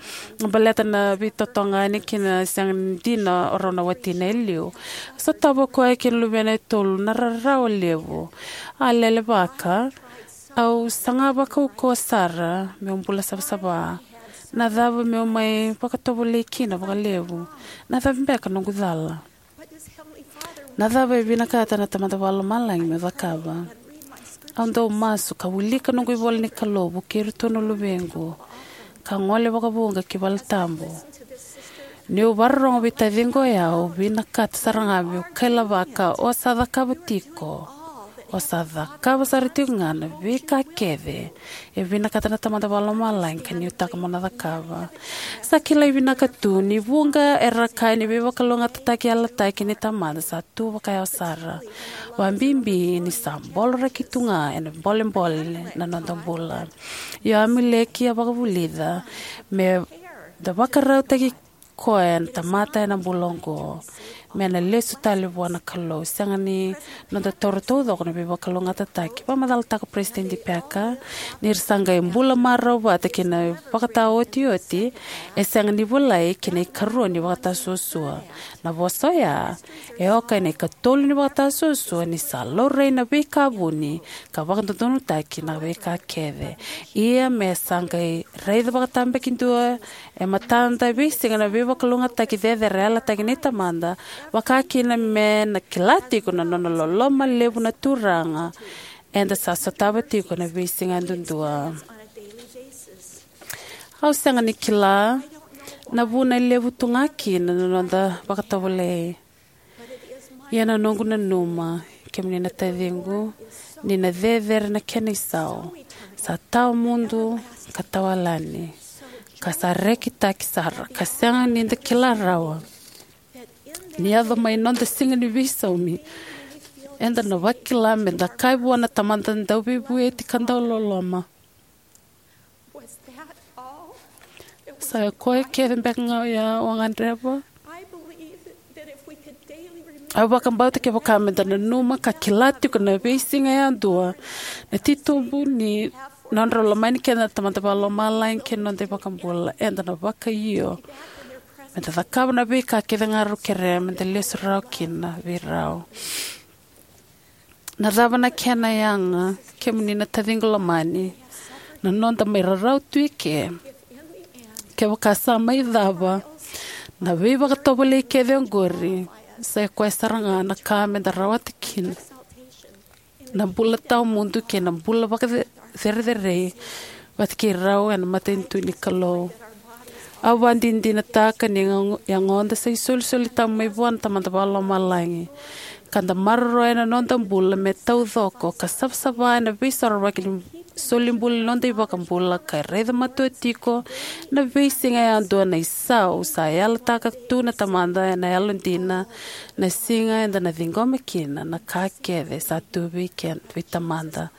baleta na veitotogani kei na sega ni dina o rau na watina e liu. Sotava o koya kei na luvena e tolu na rarawa levu. A lelevaka, au saga vakaukauwa sara meu bula savasava. Na cava meu mai vakatovolei kina vakalevu? Na cava beka noqu cala? Na cava e vinakata na Tamada Vakalomalagi meu cakava? Au dau masu ka wilika noqu ivola ni Kalou vukei iratou na luvequ, ka gole vakavuqa ki valetabu. Niu vakarorogo vei taciqu oya, au vinakata sara ga meu kailavaka o sa cakava tiko, o sa cakava sara tiko ga na veika kece e vinakata na Tamada Vakalomalagi ka nuitaka mo na cakava. Sa kilai vinaka tu ni vuqa era kaya ni veivakalougatataki yalataki ni Tamada sa tu vakayawa sara. Vakabibi ni sa boloraki tu ga ena bolebole na noda bula. Io, Amuleki a vakavulica me da vakarautaki koya na tamata ena bula oqo, me na lesu tale vua na Kalou. Sega ni noda taura taucoko na veivakalougatataki. Vakamacalataka o Peresitedi Packer, ni ra sa qai bula marau vata kei na vakataotioti, e sega ni volai ki na ikarua ni vakatasuasua. Na vosa oya e oka ena ikatolu ni vakatasuasua ni sa laurai na veika vuni ka vakadodonutaki na veika kece. Ia me sa qai raica vakatabakidua e matada e veisiga na veivakalougatataki cecere e yalataki ni Tamada, vaka kina me na kila tiko na nona loloma levu na Turaga eda sa sotava tiko na veisiga yadudua. Au sega ni kila na vuna e levu tu ga kina na noda vakatovolei. Ia na noqu nanuma, kemuni na taciqu, ni na cecere na kena isau sa tawa mudu ka tawayalani, ka sa rekitaki sara, ka sega ni da kila rawa ni yaco mai noda siga ni veisaumi, eda na vakila me da kaya vua na Tamada dauveivueti ka dauloloma, "Sa i koya kece beka ga oya au a gadreva?" Au vakabauta kevaka me da nanuma ka kila tiko na veisiga yadua na titobu ni nodra lomani keda na Tamada Vakalomalagi kei na noda iVakabula, eda na vakaio me da cakava na veika kece ga rau kerea me da lesu rawa kina vei rau. Na cava na kena yaga, kemuni na taciqu lomani, na noda mai rarawa tu eke? Kevaka sa mai cava na veivakatovolei kece oqori, sa i koya sara ga na ka me da rawata kina na bula tawamudu kei na bula vakacerecerei vata kei rau ena matanitu ni Kalou. Au vakadinadinataka ni yagoda sa isolisoli tabu mai vua na Tamada Vakalomalagi, ka da maroroya na noda bula me taucoko ka savasava ena veisorovaki ni solibula ni noda iVakabula, ka raica matua tiko na veisiga yadua na isau sa yalataka tu na Tamada ena yalodina, na siga eda na ciqoma kina na ka kece sa tu vei keda, vei Tamada.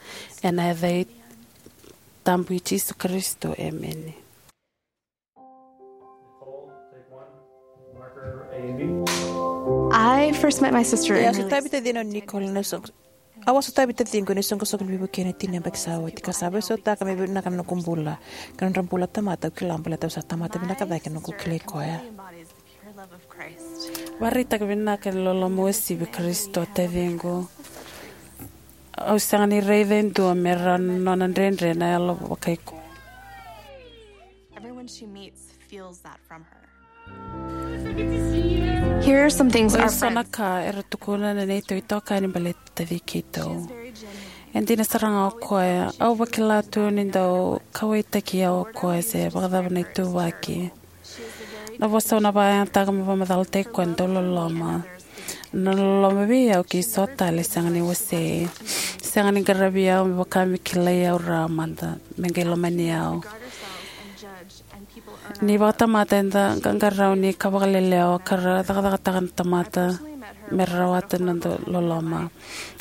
Ena yaca tabu i Jisu Karisito, emeni. I first met my sister E in a sotavi tacina o Nicole ena soqo. Au a sotavi taciqu ena isoqosoqo ni veivuke ena tini na yabaki sa oti, ka sa veisautaka me vinaka na noqu bula kei na nodra bula na tamata au kila, baleta au sa tamata vinaka cake ena noqu kilai koya. Vakaraitaka vinaka ni loloma uasivi i Karisito, taciqu. Au sega ni raica e dua me rawa na nona dredre na yalo vakaiko. Everyone she meets feels that from her. Here are some things Oi, our so na friends ka era tukuna na neitou itokani baleti taci keitou. E dina sara ga o koya, au vakila tu ni dau kauwaitaki au o koya se vakacava na ituvaki. Na vosa au na vakayagataka me vakamacalataki koya na dauloloma. Na loloma vei au kei so tale sega ni wasei. Sega ni qaravi au me vaka me kilai au rawa mada, me qai lomani au. Ni vakatamata eda qaqarauni ka vakalelewa ka ra cakacakataka na tamata me ra rawata na noda loloma.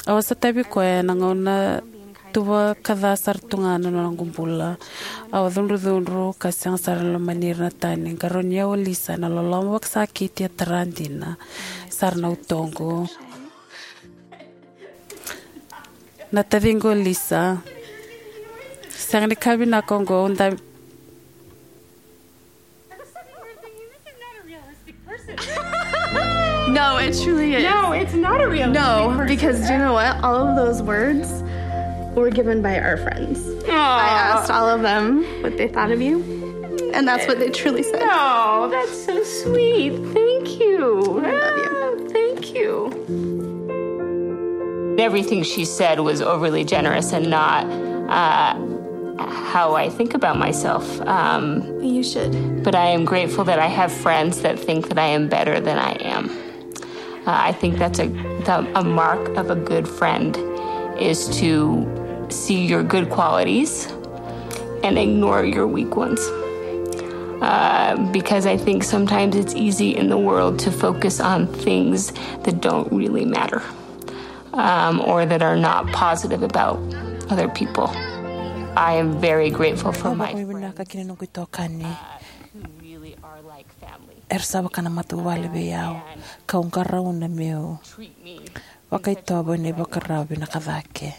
Au a sotavi koya ena gauna tuva ka ca sara tu ga na noqu bula. Au a cudrucudru ka sega sara ni lomani ira na tani. Qarauni au o Lisa ena loloma vakasakiti e tara dina sara na utoqu. Na taciqu o Lisa. Sega ni ka vinaka oqo, au da No, it truly is. No, it's not a real. No, because do you know what? All of those words were given by our friends. I asked all of them what they thought of you, and that's what they truly said. Oh, that's so sweet. Thank you. I love you. Ah, thank you. Everything she said was overly generous and not uh, how I think about myself. Um, you should. But I am grateful that I have friends that think that I am better than I am. Uh, I think that's a, the, a mark of a good friend is to see your good qualities and ignore your weak ones. Uh, because I think sometimes it's easy in the world to focus on things that don't really matter, um, or that are not positive about other people. I am very grateful for my friends. Vinaka kina noqu itokani. Era sa vaka na matavuvale vei au, kau qarauna meu vakaitovo ena ivakarau vinaka cake.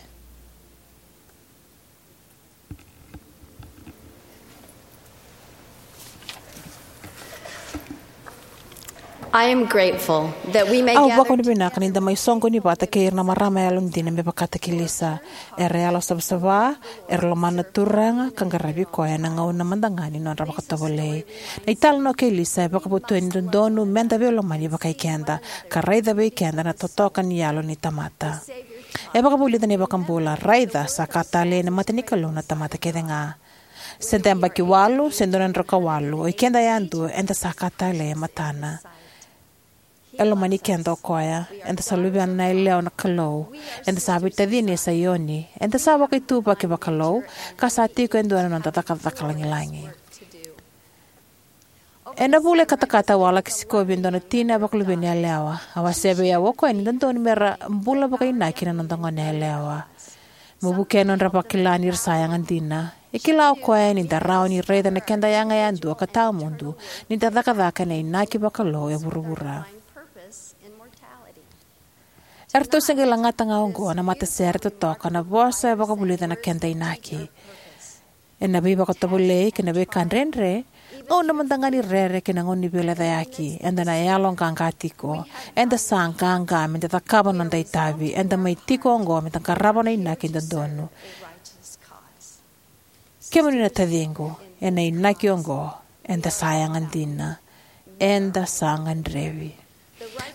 I am grateful that we may gather. Au vakavinavinaka ni da mai soqoni vata kei ira na marama yalodina me vakataki Lisa. Era yalo savasava, era lomana na Turaga ka qaravi koya ena gauna mada ga ni nodra vakatovolei. Na italanoa kei Lisa e vakavotuya ni dodonu meda veilomani vakai keda ka raica vei keda na totoka ni yalo ni tamata. E vakavulica na iVakabula, raica sa ka talei ena mata ni Kalou na tamata kece ga. Se da yabaki walu se dua na drau ka walu, o ikeda yadua eda sa ka talei e matana. E lomani keda o koya. Eda sa luvena na yalewa na Kalou. Eda sa veitacini e Saioni. Eda sa vakaituvaki vakalou ka sa tiko e dua na noda cakacaka lagilagi. Ena vula e katakata au a laki sikovi e dua na tina vakaluveni yalewa. A wasea vei au o koya ni dodonu mera bula vakainaki na noda gone yalewa. Mo vukea na nodra vakila ni ra sa yaga dina. E kila o koya ni da rawa ni raica na keda yaga yadua ka tawamudu ni da cakacaka ena inaki vakalou e vuravura. Eratou se qai lagata ga oqo na matasere totoka na vosa e vakavulica na keda inaki. Ena veivakatovolei kei na veika dredre, gauna mada ga ni rere kei na gauna ni veilecayaki, eda na yalo qaqa tiko. Eda sa qaqa meda cakava na noda itavi. Eda mai tiko oqo meda qarava na inaki dodonu. Kemuni na taciqu, ena inaki oqo eda sa yaga dina. Eda sa gadrevi.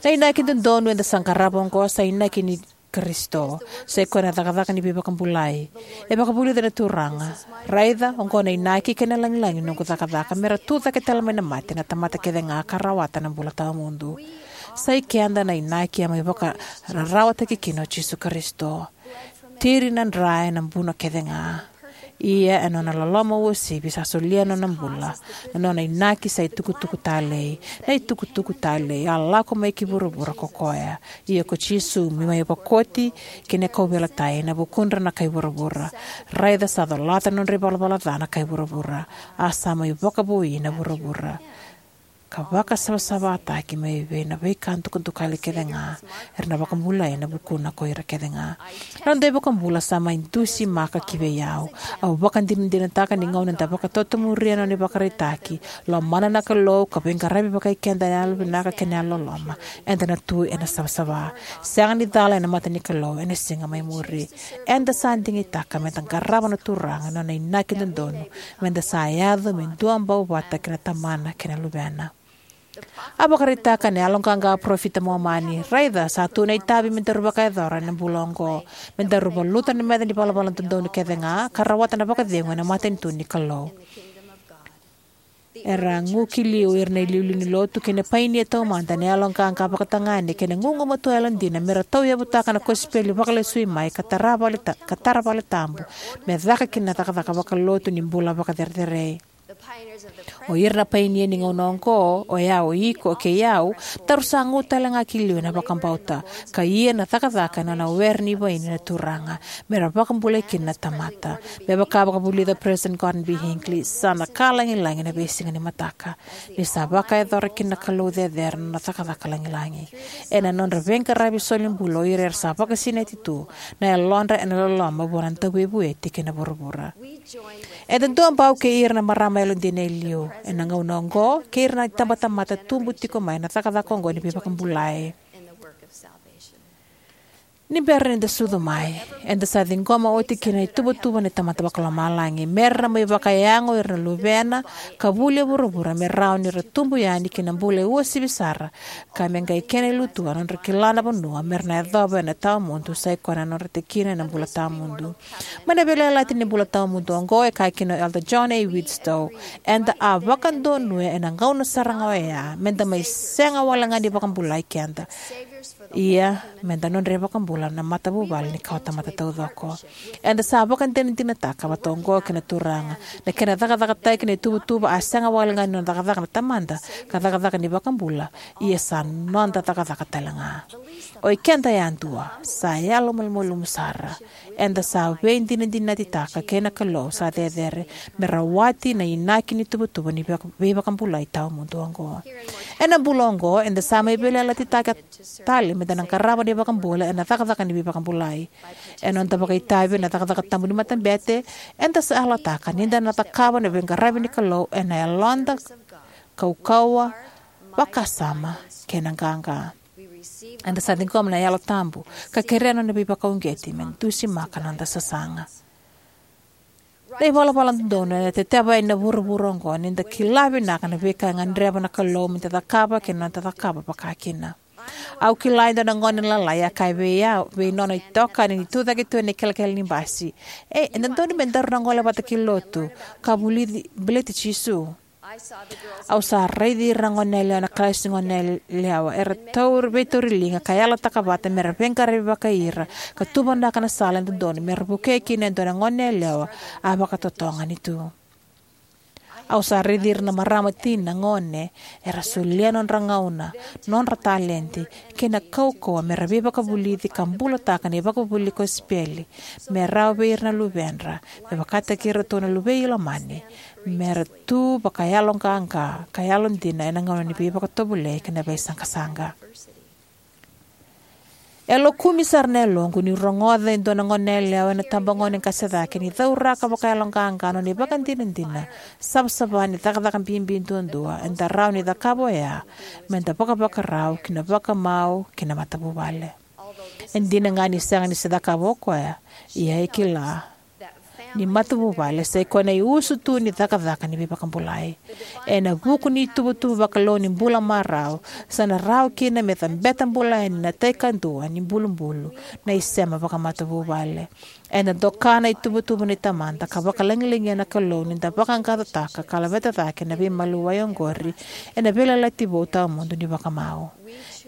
Na inaki dodonu eda sa qarava oqo sa inaki ni Karisito, sa i koya na cakacaka ni veivakabulai. E vakavulica na Turaga, raica, oqo na inaki kei na lagilagi ni noqu cakacaka, mera tucake tale mai na mate na tamata kece ga ka rawata na bula tawamudu. Sa i keda na inaki a mai vakararawataki kina o Jisu Karisito. Tiri na dra ena buno kece ga. Ia ena nona loloma uasivi sa solia na nona bula. Na nona inaki sa itukutuku talei. Na itukutuku talei a lako mai ki vuravura ko koya. Ia ko Jisu me mai vakoti kei na kauveilatai ena vukudra na kai vuravura. Raica sa colata na nodra ivalavala ca na kai vuravura. A sa mai vakavoui na vuravura. Ka vakasavasavataki mai vei na veika dukadukali kece ga era na vakabulai ena vukuna ko ira kece ga. Na noda iVakabula sa mai dusimaka ki vei au. Au vakadinadinataka ni gauna eda vakatotomuria na nona ivakaraitaki, lomana na Kalou ka veiqaravi vakai keda ena yalovinaka kei na yalololoma, eda na tu ena savasava. Sega ni cala ena mata ni Kalou ena siga mai muri. Eda sa digitaka meda qarava na Turaga na nona inaki dodonu, meda sa yaco me duabau vata kei na Tamana kei na Luvena. A vakaraitaka ena yaloqaqa a parofita Momani, raica sa tu na itavi me daru vakayacora ena bula oqo, me daru valuta na meca ni valavala dodonu kece ga ka rawata na vakacegu ena matanitu ni Kalou. Era gu ki liu o ira na iliuliu ni lotu kei na painia taumada ena yaloqaqa vakatagane kei na gugumatua yalodina me ra tauyavutaka na kosipeli vakalesui mai ka tara vale ta- ka tara vale tabu me caka kina na cakacaka vakalotu ni bula vakacerecerei. O ira na painia ni gauna oqo, o yau, o iko, kei au, daru sa gu tale ga ki liu ena vakabauta ka ia na cakacaka ena nona were ni vaini na Turaga me ra vakabulai kina na tamata. Me vaka a vakavulica o Peresitedi Gordon B. Hinckley, sa na ka lagilagi ena veisiga ni mataka, ni sa vakayacora kina na Kalou cecere na nona cakacaka lagilagi ena nodra veiqaravi solibula o ira era sa vakasinaiti tu na yalodra ena loloma vua na Dauveivueti kei na vuravura. Eda duabau kei ira na marama yalodina e liu ena gauna oqo kei ira na itabatamata tubu tiko mai ena cakacaka oqo ni veivakabulai. Ni bera ni da sucu mai, eda sa ciqoma oti kina na ituvatuva ni Tamada Vakalomalagi me ra na mai vakayago o ira na luvena ka vuli e vuravura me rawa ni ra tubu yani ki na bula e uasivi sara, ka me qai kena ilutua na nodra kila na vanua me ra na yacova ena tawamudu, sai koya na nodra tikina ena bula tawamudu. Mai na veiyalayalati ni bula tawamudu oqo, e kaya kina o Elder John A. Widtsoe, eda a vakadonuya ena gauna sara ga oya me da mai sega wale ga ni vakabulai keda, ia me da nodra iVakabula na matavuvale ni kawatamata taucoko. Eda sa vakadinadinataka vata oqo kei na Turaga, na kena cakacakataki na ituvatuva a sega wale ga ni nona cakacaka na Tamada ka cakacaka ni iVakabula, ia sa noda cakacaka tale ga. O ikeda yadua, sa yalomalumalumu sara, eda sa veidinadinatitaka kei na Kalou sa cecere me rawati na inaki ni tuvatuva ni veivakabulai tawamudu oqo. Ena bula oqo, eda sa mai veiyalayalati tale me da na qarava na iVakabula ena cakacaka ni veivakabulai. Ena noda vakaitavi ena cakacaka tabu ni matabete, eda sa yalataka ni da na cakava na veiqaravi ni Kalou ena yaloda, kaukauwa, vakasama, kei na qaqa. Eda sa ciqoma na Yalo Tabu ka kerea na nona veivakauqeti me dusimaka na noda sasaga. Na ivalavala dodonu ena teteva yani na vuravura oqo ni da kila vinaka na veika e gadreva na Kalou me da cakava kei na noda cakava vakakina. Au kila e dua na gone lalai a kaya vei au, vei nona itokani ni tucake tu ena ikelekele ni basi, "E, e dodonu me daru na gole vata ki lotu ka vulici, baleti Jisu." Au sa raici ira na goneyalewa ena kalasi ni goneyalewa era tauri, veitauri liga ka yalataka vata me ra veiqaravi vakai ira ka tuvanaka na sala e dodonu me ra vukei kina e dua na goneyalewa a vakatotogani tu. Au sa raici ira na marama, tina, gone era solia nodra gauna, nodra taledi, kei na kaukauwa me ra veivakavulici ka bulataka na ivakavuvuli kosipeli me rawa vei ira na luvedra, me vakataki iratou na luvei Ilamani, me ra tu vakayaloqaqa ka yalodina ena gauna ni veivakatovolei kei na veisaqasaqa. E lokumi sara na yaloqu niu rogoca e dua na goneyalewa ena tabagone qase cake ni cauraka vakayaloqaqa na nona ivakadinadina savasava ni cakacaka bibi duadua eda rawa ni cakava oya me da vakavakarau ki na vakamau kei na matavuvale. E dina ga ni sega ni se cakava o koya, ia e kila ni matavuvale sai koya na iusutu ni cakacaka ni veivakabulai. Ena vuku ni ituvatuva vakalou ni bula marau, sa na rawa kina me cabeta bula yani na tai kadua ni bulubulu, na isema vakamatavuvale. Ena doka na ituvatuva ni Tamada ka vakalagilagia na Kalou ni da vaqaqacotaka ka laveta cake na veimaliwai oqori ena veiyalayalati vou tawamudu ni vakamau.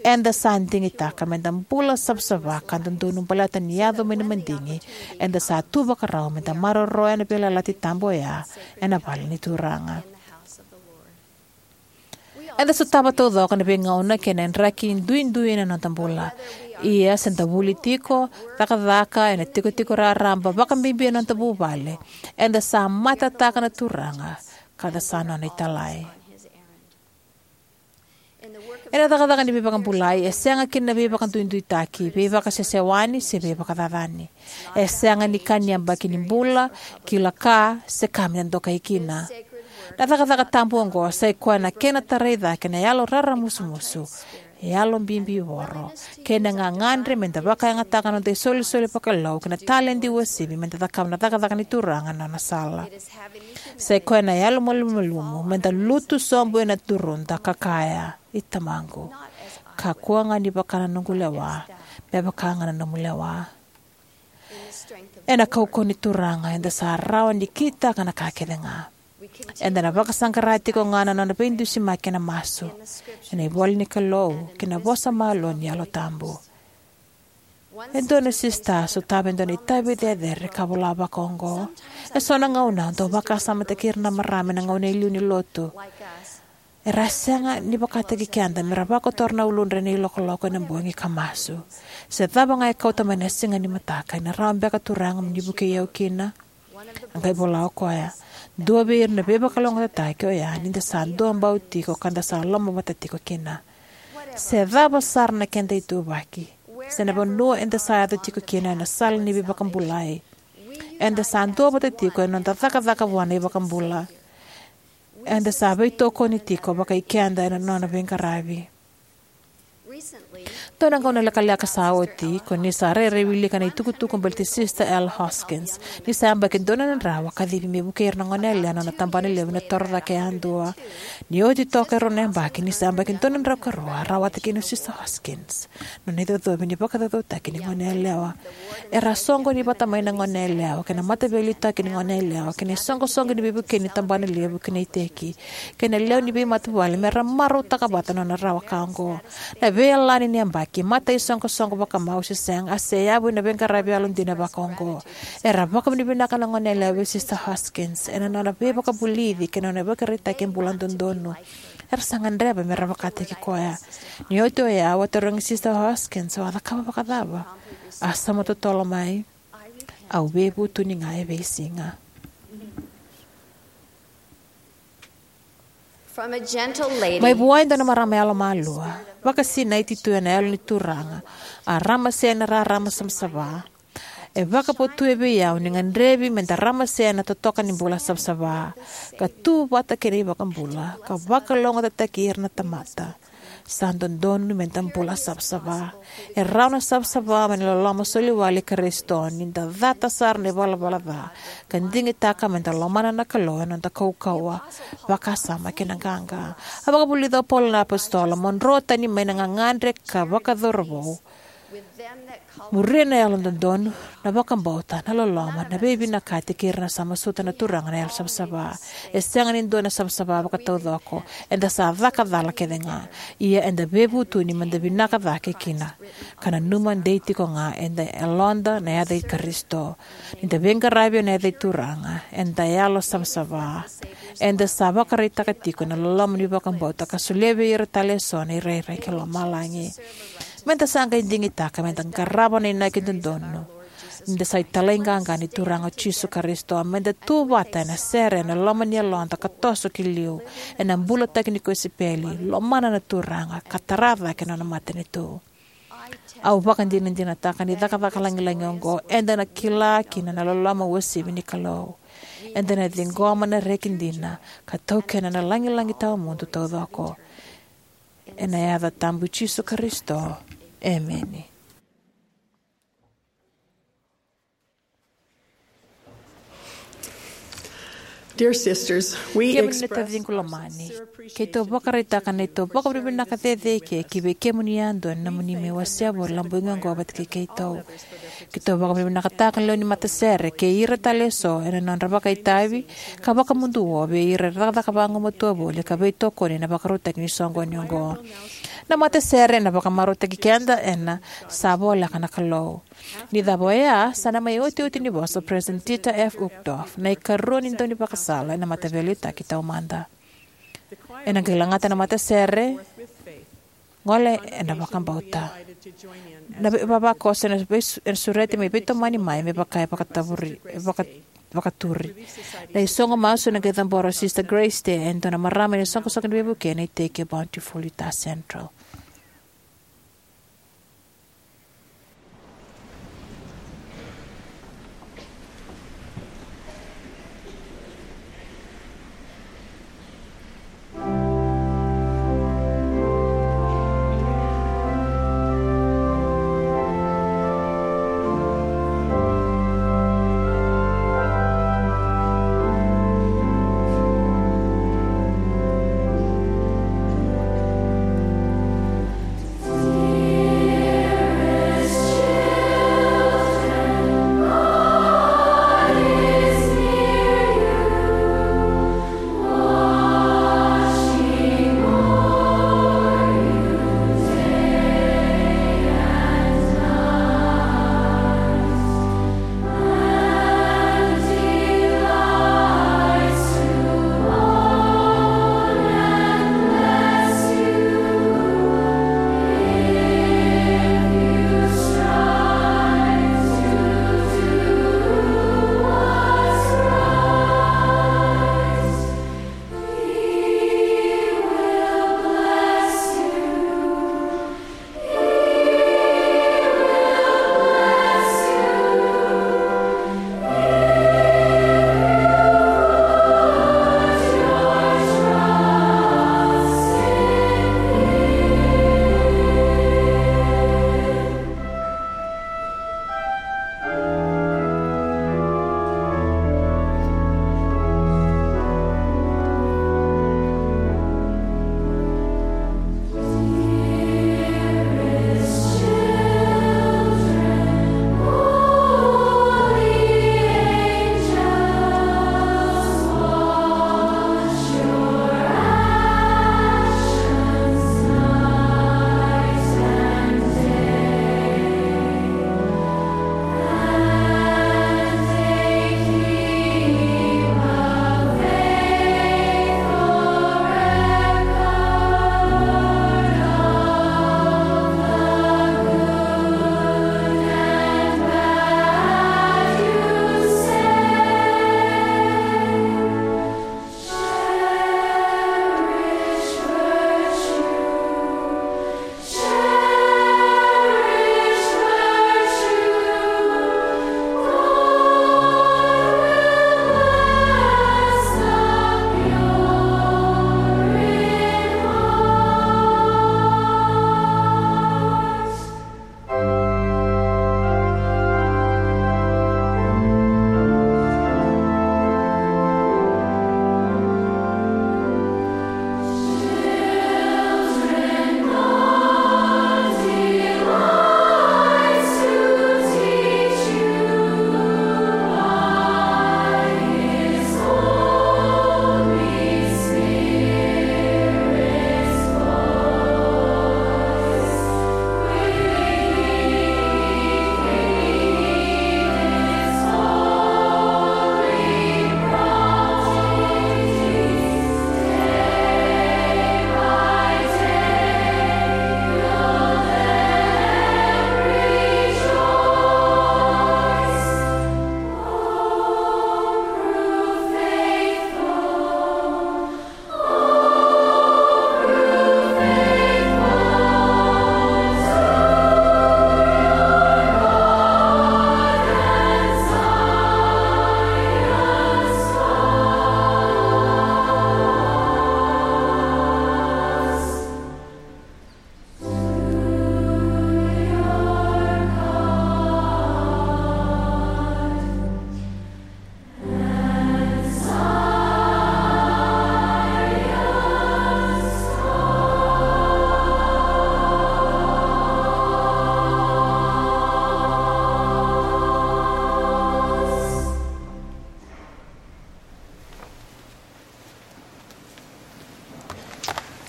Eda sa digitaka me da bula savasava ka dodonu baleta ni yaco mai na madigi, eda sa tu vakarau me da maroroya na veiyalayalati tabu oya ena vale ni Turaga. Eda sotava taucoko na veigauna kei na draki duidui ena noda bula. Ia se da vuli tiko, cakacaka ena tikotiko raraba, vakabibi ena noda vuvale, eda sa matataka na Turaga ka da sa nona italai. Ena cakacaka ni veivakabulai e sega kina na veivakaduiduitaki, veivakasesewani, se veivakacacani. E sega ni ka ni yabaki ni bula, kila ka, se ka me da dokai kina. Na cakacaka tabu oqo sai koya na kena tarai cake na yalo raramusumusu, yalo bibivoro, kei na gagadre me da vakayagataka na noda isolisoli vakalou kei na taledi uasivi me da cakava na cakacaka ni Turaga ena nona sala. Sai koya na yalo malumalumu me da lutu sobu ena turuda ka kaya, "I Tamaqu, kakua ga ni vaka na noqu lewa, me vaka ga na nomu lewa." Ena kaukauwa ni Turaga eda sa rawa ni kitaka na ka kece ga. Eda na vakasaqara tiko ga na nona veidusimaki ena masu, ena ivola ni Kalou, kei na vosa malua ni Yalo Tabu. E dua na sista a sotava e dua na itavi cecere ka vola vakaoqo: "E so na gauna au dau vakasamataki ira na marama ena gauna e liu ni lotu, era a sega ni vakataki keda mera vakotora na uludra ena ilokoloko ena bogi ka masu. Se cava ga e kauta mai na siga ni mataka, ena rawa beka, Turaga, mo ni vukei au kina?" A qai vola o koya: "Dua vei ira na veivakalougatataki oya ni da sa duabau tiko ka da sa lomavata tiko kina. Se cava sara na keda ituvaki, se na vanua eda sa yaco tiko kina ena sala ni veivakabulai, eda sa duavata tiko ena noda cakacaka vua na iVakabula. Eda sa veitokoni tiko vakai keda ena nona veiqaravi." Dua na gauna lekaleka sa oti, ko ni sa rairai wilika na itukutuku baleti Sister L. Hoskins, ni sa yabaki dua na drau a kacivi me vukei ira na goneyalewa na nona tabanalevu ena torocake yadua. Ni oti toka e rua na yabaki, ni sa yabaki dua na drau ka rua, a rawata kina o Sister Hoskins na nona icocovi ni vakacaucautaki ni goneyalewa. Era a soqoni vata mai na goneyalewa kei na mataveiliutaki ni goneyalewa kei na isoqosoqo ni veivukei ni tabanalevu kei na iteki kei na lewe ni veimatavuvale mera marautaka vata na nona rawa ka oqo. Na veiyalani ni yabaki, mataisoqosoqo vakamau se sega, a seyavu ena veiqaravi yalodina vakaoqo. Era vakavinavinaka na goneyalewa vei Sister Hoskins ena nona veivakavulici kei na nona ivakaraitaki e bula dodonu. Era sa gadreva mera vakataki koya. Ni oti oya, au a tarogi Sister Hoskins, "O a cakava vakacava?" A sauma totolo mai, "Au veivutuni ga e veisiga." From a gentle lady, mai vua e dua na marama yalomalua, vakasinaiti tu ena Yalo ni Turaga, a ramasea na rarama savasava. E vakavotuya vei au ni gadrevi meda ramasea na totoka ni bula savasava, ka tu vata kei na iVakabula, ka vakalougatataki ira na tamata. Sa dodonu meda bula savasava. E rawa na savasava mai na loloma soliwale i Karisito, ni da cata sara na ivalavala ca, ka digitaka meda lomana na Kalou ena noda kaukauwa, vakasama kei na qaqa. A vakavulica o Paula na apositolo, "Mo dro tani mai na gagadre ka vakacauravou. Muria na yalododonu, na vakabauta, na loloma, na veivinakati kei ira na sa masuta na Turaga na yalo savasava." E sega ni dua na savasava vakataucoko. Eda sa caka cala kece ga. Ia eda veivutuni meda vinaka cake kina, ka nanuma dei tiko ga eda yaloda na yaca i Karisito. Ni da veiqaravi ena yaca i Turaga, eda yalo savasava. Eda sa vakaraitaka tiko na loloma ni vakabauta ka solia vei ira tale eso na irairai ki lomalagi. Meda sa qai digitaka meda qarava na inaki dodonu ni da sa italai qaqa ni Turaga o Jisu Karisito. Meda tu vata ena sere ena loma ni yaloda ka toso ki liu, ena bulataki ni kosipeli, lomana na Turaga, ka tara cake na nona matanitu. Au vakadinadinataka ni cakacaka lagilagi oqo eda na kila kina na loloma uasivi ni Kalou. Eda na ciqoma na reki dina ka taukena na lagilagi tawamudu taucoko. Ena yaca tabu i Jisu Karisito. Emeni. Dear sisters, we Kemuni na express taciqu lomani, keitou vakaraitaka na neitou vakavinavinaka cecere ki vei kemuni yadua ena nomuni mai wasea voli na bogi oqo vata kei keitou. Keitou vakavinavinakataka na lewe ni matasere kei ira tale eso ena nodra vakaitavi ka vakamuduo vei ira era cakacaka vagumatua voli ka veitokoni ena vakarautaki ni soqoni oqo. Na matasere ena vakamarautaki keda ena Sa Voleka na Kalou. Ni cava oya, sa na mai otioti ni vosa o President Dieter F. Uchtdorf, na ikarua ni daunivakasala ena Mataveiliutaki Taumada. Ena qai lagata na matasere, Gole ena Vakabauta. Na veivavakoso ena veisu-, ena sureti me veitomani mai me vaka e vakatavuri, e vaka-, vakaturi. Na isogo masu ena qai cabora o Sister Grace Teh, e dua na marama ena isoqosoqo ni veivuke ena iteki e Bountiful, Utah Central.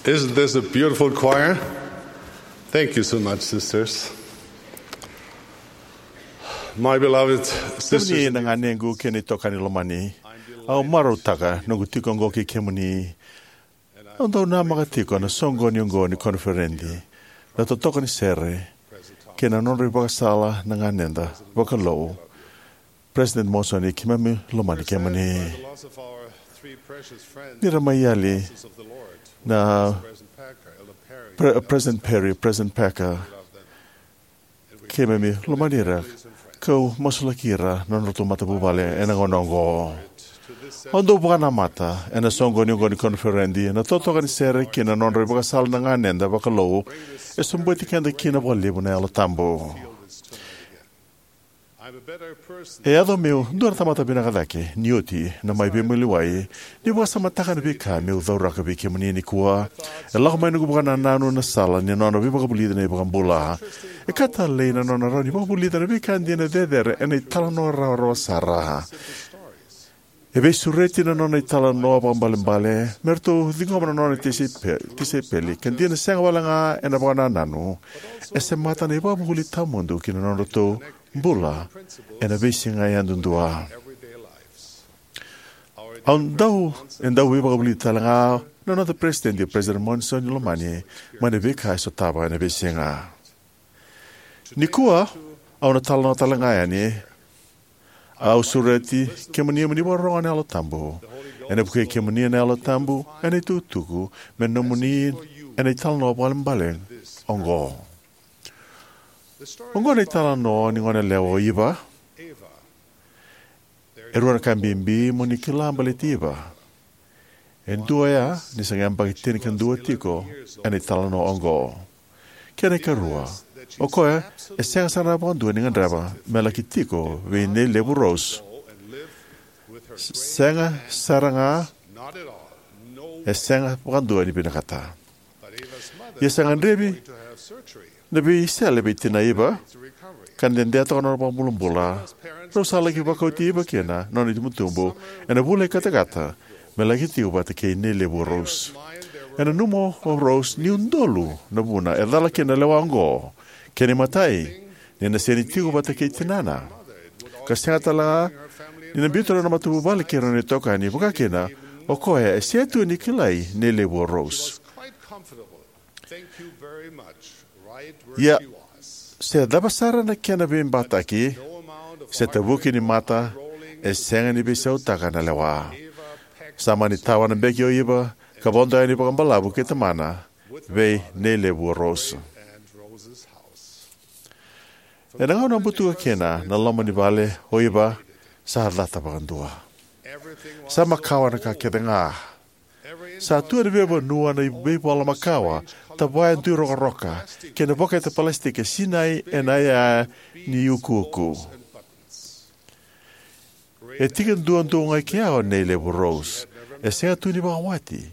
Isn't this a beautiful choir? Thank you so much, sisters. My beloved sisters, kemuni na ganequ kei na itokani lomani, au marautaka noqu tiko oqo kei kemuni. Au dau namaka tiko na soqoni oqo ni koniferedi, na totoka ni sere, kei na nodra ivakasala na ganeda vakalou. President Monson, e keimami lomani kemuni. Ni ra mai yali na Pre- President Perry, President Packer, keimami lomani ira, kau masulaki ira na nodratou matavuvale ena gauna oqo. Au dau vakanamata ena soqoni oqo ni koniferedi, na totoka ni sere kei na nodra ivakasala na ganeda vakalou, e sobuti keda kina vakalevu na Yalo Tabu. E yaco meu dua na tamata vinaka cake ni oti na mai veimaliwai, ni vakasamataka na veika meu cauraka vei kemuni nikua. E lako mai noqu vakanananu na sala ni nona veivakavulici na iVakabula. E ka talei na nona rawa ni vakavulica na veika dina cecere ena italanoa rawarawa sara. E veisureti na nona italanoa vakaibalebale me ratou ciqoma na nona tisaipeli, ka dina sega wale ga ena vakanananu. E semata na ivakavuvuli tawamudu ki na nodratou bula ena veisiga yadudua. Au dau, e dau veivakavulici tale ga na noda peresitedi, President Monson, ni lomani mai na veika e sotava ena veisiga. Nikua, au na talanoa tale ga yani. Au sureti kemuni mo ni vakarorogo na Yalo Tabu. Ena vukei kemuni na Yalo Tabu ena itukutuku me nomuni ena italanoa vakaibalebale oqo. Oqo na italanoa ni goneyalewa o Iva. E rua na ka bibi mo ni kila baleti Iva. E dua oya ni sa qai yabaki tinikadua tiko ena italanoa oqo. Kena ikarua, o koya e sega sara vakadua ni gadreva me laki tiko vei Nei Levu Rose. Sega sara ga, e sega vakadua ni vinakata. Ia sa gadrevi na veisele vei tinai Iva, ka dede toka na nona vakabulabula. Rau sa laki vakauti Iva kina na nona itubutubu ena vula i katakata me laki tiko vata kei Nei Levu Rose. Ena nanuma o Rose ni udolu na vuna e cala kina na lewa oqo. Kena imatai, ni na sega ni tiko vata kei tinana, ka sega tale ga ni na biuta na nona matavuvale kei ira na nona itokani, vaka kina o koya e sega tu ni kilai Nei Levu Rose. Ia, se cava sara na kena veibataki, se tavuki ni mata e sega ni veisautaka na lewa. Sa mani tawa na beki o Iva ka vodo yani vakabalavu kei tamana vei Nei Levu Rose. Ena gauna a butuka kina na loma ni vale o Iva, sa cata vakadua. Sa makawa na ka kece ga. Sa tu ena veivanua na veivola makawa, tavaya dui rokoroka, kei na vokete palasitiki e sinai ena iyaya ni ukuuku. E tiki duadua ga i kea o Nei Levu Rose. E sega tu ni vakawati.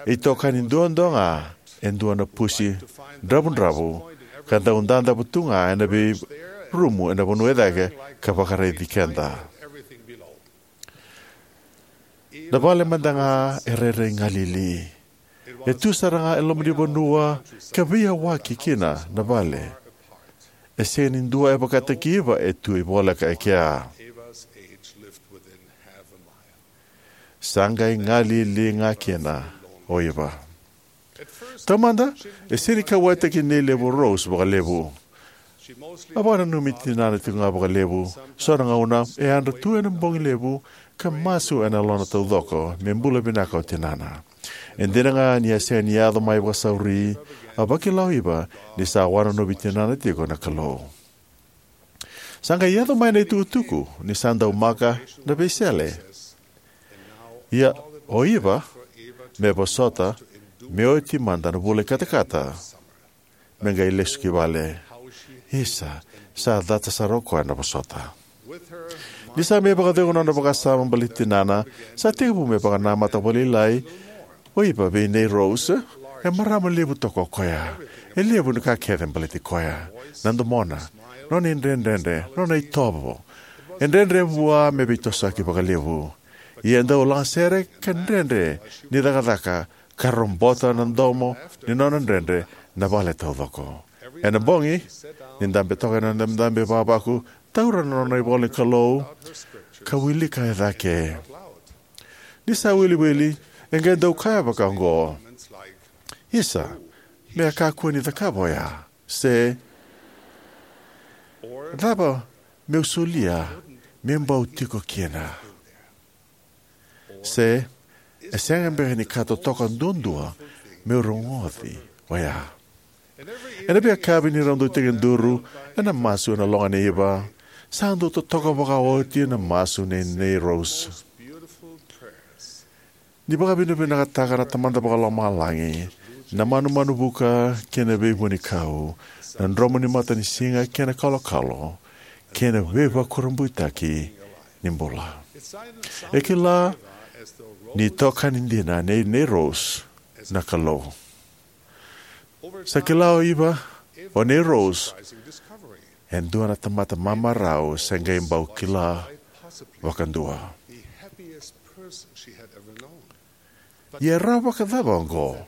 E itokani duadua ga e dua na pusi dravudravu, ka dau dadavu tu ga ena veirumu ena vanua e cake ka vakaraici keda. Na vale mada ga e rairai galili. E tu sara ga e loma ni vanua ka veiyawaki kina na vale. E sega ni dua e vakataki Iva e tu e voleka e kea. Sa qai galili ga kina o Iva. Taumada, e sega ni kauwaitaki Nei Levu Rose vakalevu. A vakananumi tinana tiko ga vakalevu. So na gauna e yadra tu ena bogi levu ka masu ena lona taucoko me bula vinaka o tinana. E dina ga ni a sega ni yaco mai vakasauri, a vakila o Iva ni sa wanonovi tinana tiko na Kalou. Sa qai yaco mai na itukutuku ni sa dau maka na veisele. Ia, o Iva me vosota me oti mada na vula i katakata me qai lesu ki vale. Isa, sa cata sara o koya na vosota. Ni sa mai vakacegu na nona vakasama baleti tinana, sa tekivu me vakanamata vakalailai o Iva vei Nei Rose. E marama levu toka o koya. E levu na ka kece baleti koya. Na domona, nona idredredre, nona itovo. E dredre vua me veitosoyaki vakalevu. Ia e dau lagasere ka dredre ni cakacaka ka robota na domo ni nona dredre na vale taucoko. Ena bogi, ni dabe toka ena dabedabe vavaku, taura na nona ivola ni Kalou, ka wilika e cake. Ni sa wiliwili, e qai dau kaya vaka oqo: "Isa, me a kakua ni cakava oya?" Se, "Cava meu solia me bau tiko kina?" Se, "E sega beka ni ka totoka duadua meu rogoci oya?" Ena veiyakavi ni rau dau tekiduru ena masu ena loga nei Iva, sa dau totoka vakaoti na masu nei, nei Rose. Ni vakavinavinakataka na Tamada Vakalomalagi, na manumanu vuka kei na veivunikau, na dromu ni matanisiga kei na kalokalo, kei na veivakurabuitaki ni bula. E kila ni tokani dina nei, nei Rose na Kalou. Sa kila o Iva, o nei Rose e dua na tamata mamarau se qai bau kila vakadua. Ia e rawa vakacava oqo?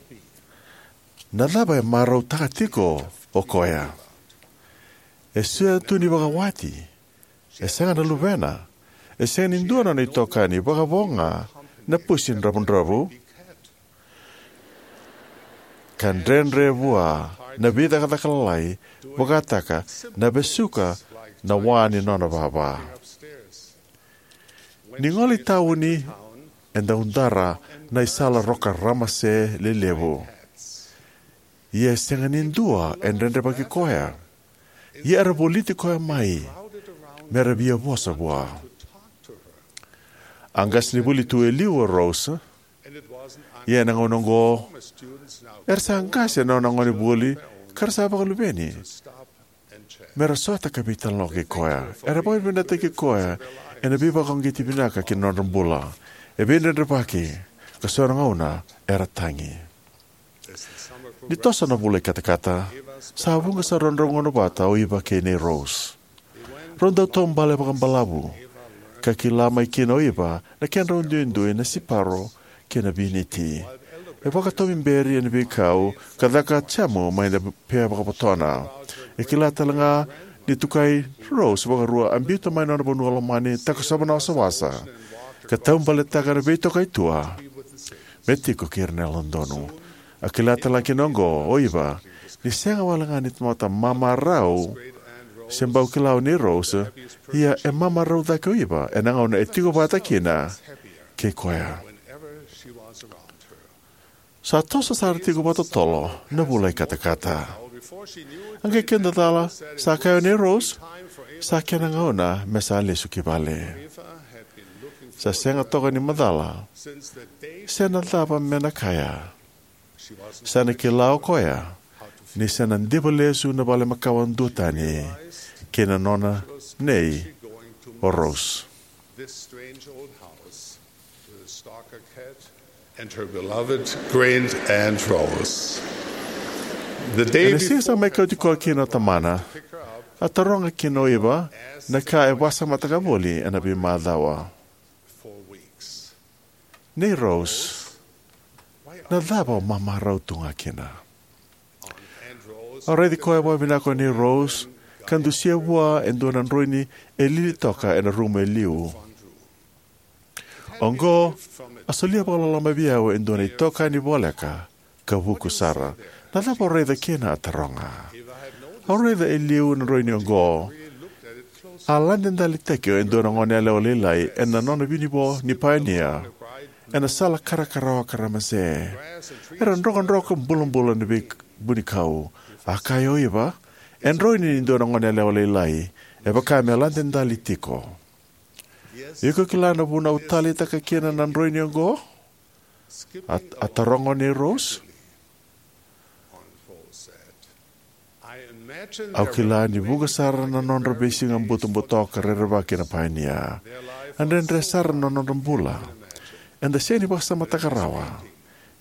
Na cava e marautaka tiko o koya? E sega tu ni vakawati, e sega na luvena, e sega ni dua na nona itokani, vakavo ga na pusi dravudravua, ka dredre vua na veicakacaka lalai, vakataka na vesuka na wa ni nona vava. Ni gole i tauni, e daudara na isala roka ramase lelevu. Ia e sega ni dua e dredrevaki koya. Ia era voliti koya mai me ra via vosa vua. A qasenivuli tu e liu o Rose. Ia ena gauna oqo, era sa qase na nona gonevuli ka ra sa vakaluveni me ra sota ka veitalanoa kei koya. Era vakavinavinakataki koya ena veivakauqeti vinaka ki na nodra bula. E veidredrevaki, ka so na gauna era tagi. Ni toso na vula i katakata, sa vuqa sara nodrau gauna vata o Iva kei nei Rose. Rau dau taubale vakabalavu, ka kila mai kina o Iva na kedrau duidui na siparo kei na viniti. E vakatoberi ena veikau ka caka jamu mai na pea vakavotona. E kila tale ga ni tukai Rose vakarua, a biuta mai na nona vanua lomani, takosova na wasawasa, ka taubaletaka na veitokaitua me tiko kei ira na yalododonu. A kila tale ga kina oqo o Iva, ni sega wale ga ni tamata mamarau se bau kila o nei Rose, ia e mamarau cake o Iva ena gauna e tiko vata kina kei koya. Sa toso sara tiko vakatotolo na vula i katakata. A qai keda cala, sa kaya o nei Rose, sa kena gauna me sa lesu ki vale. Sa sega toka ni macala se na cava me na kaya. Sa na kila o koya ni sa na diva lesu na vale makawa duatani kei na nona nei o Rose. This strange old house to the stalker cat and her beloved great Aunt Rose. The day Ena siga sa before mai kauti koya kina o tamana, a taroga kina o Iva na ka e vakasamataka voli ena veimacawa. Four weeks. Nei Rose, na cava o mamarau tu ga kina? A raici koya vakavinaka o nei Rose, ka dusia vua e dua na droini e lili toka ena rumu e liu. Oqo, a solia vakaloloma vei au e dua na itokani voleka ka vuku sara. Na cava o raica kina? A taroga. Au raica e liu na droini oqo. A lade dalitaki e dua na goneyalewa lailai ena nona vinivo ni paionia ena sala karakarawa ka ramase. Era drokadroka bulabula na veivunikau. A kaya o Iva, e droini ni dua na goneyalewa lailai, e vaka me lade dali tiko. Iko kila na vuna au taleitaka kina na droini oqo? A, a taroga o nei Rose. Au kila ni vuqa sara na nodra veisiga butobuto ka rerevaki na paionia. A dredre sara na nodra bula. Eda sega ni vakasamataka rawa.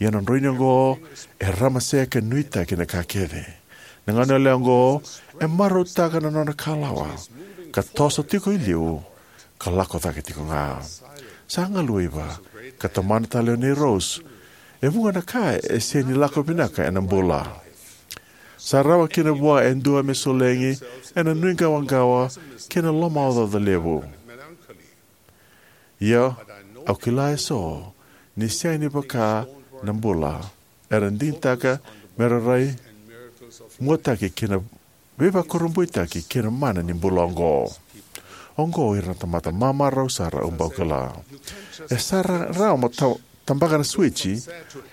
Ia na droini oqo e ramase ka nuitaki na ka kece. Na goneyalewa oqo e marautaka na nona kalawa, ka toso tiko i liu, ka lako cake tiko ga. Sa galu o Iva, ka tomana tale o nei Rose, E vuqa na ka e sega ni lako vinaka ena bula. Sa rawa kina vua e dua me solegi ena nuiqawaqawa kei na lomaocaoca levu. Ia, au kila eso ni sega ni vaka na bula era digitaka me ra rai muataki kei na veivakurabuitaki kei na mana ni bula oqo. Oqo ira na tamata mamarau sara au bau kila. E sa ra-, rawa mo ta-, tabaka na suwiji,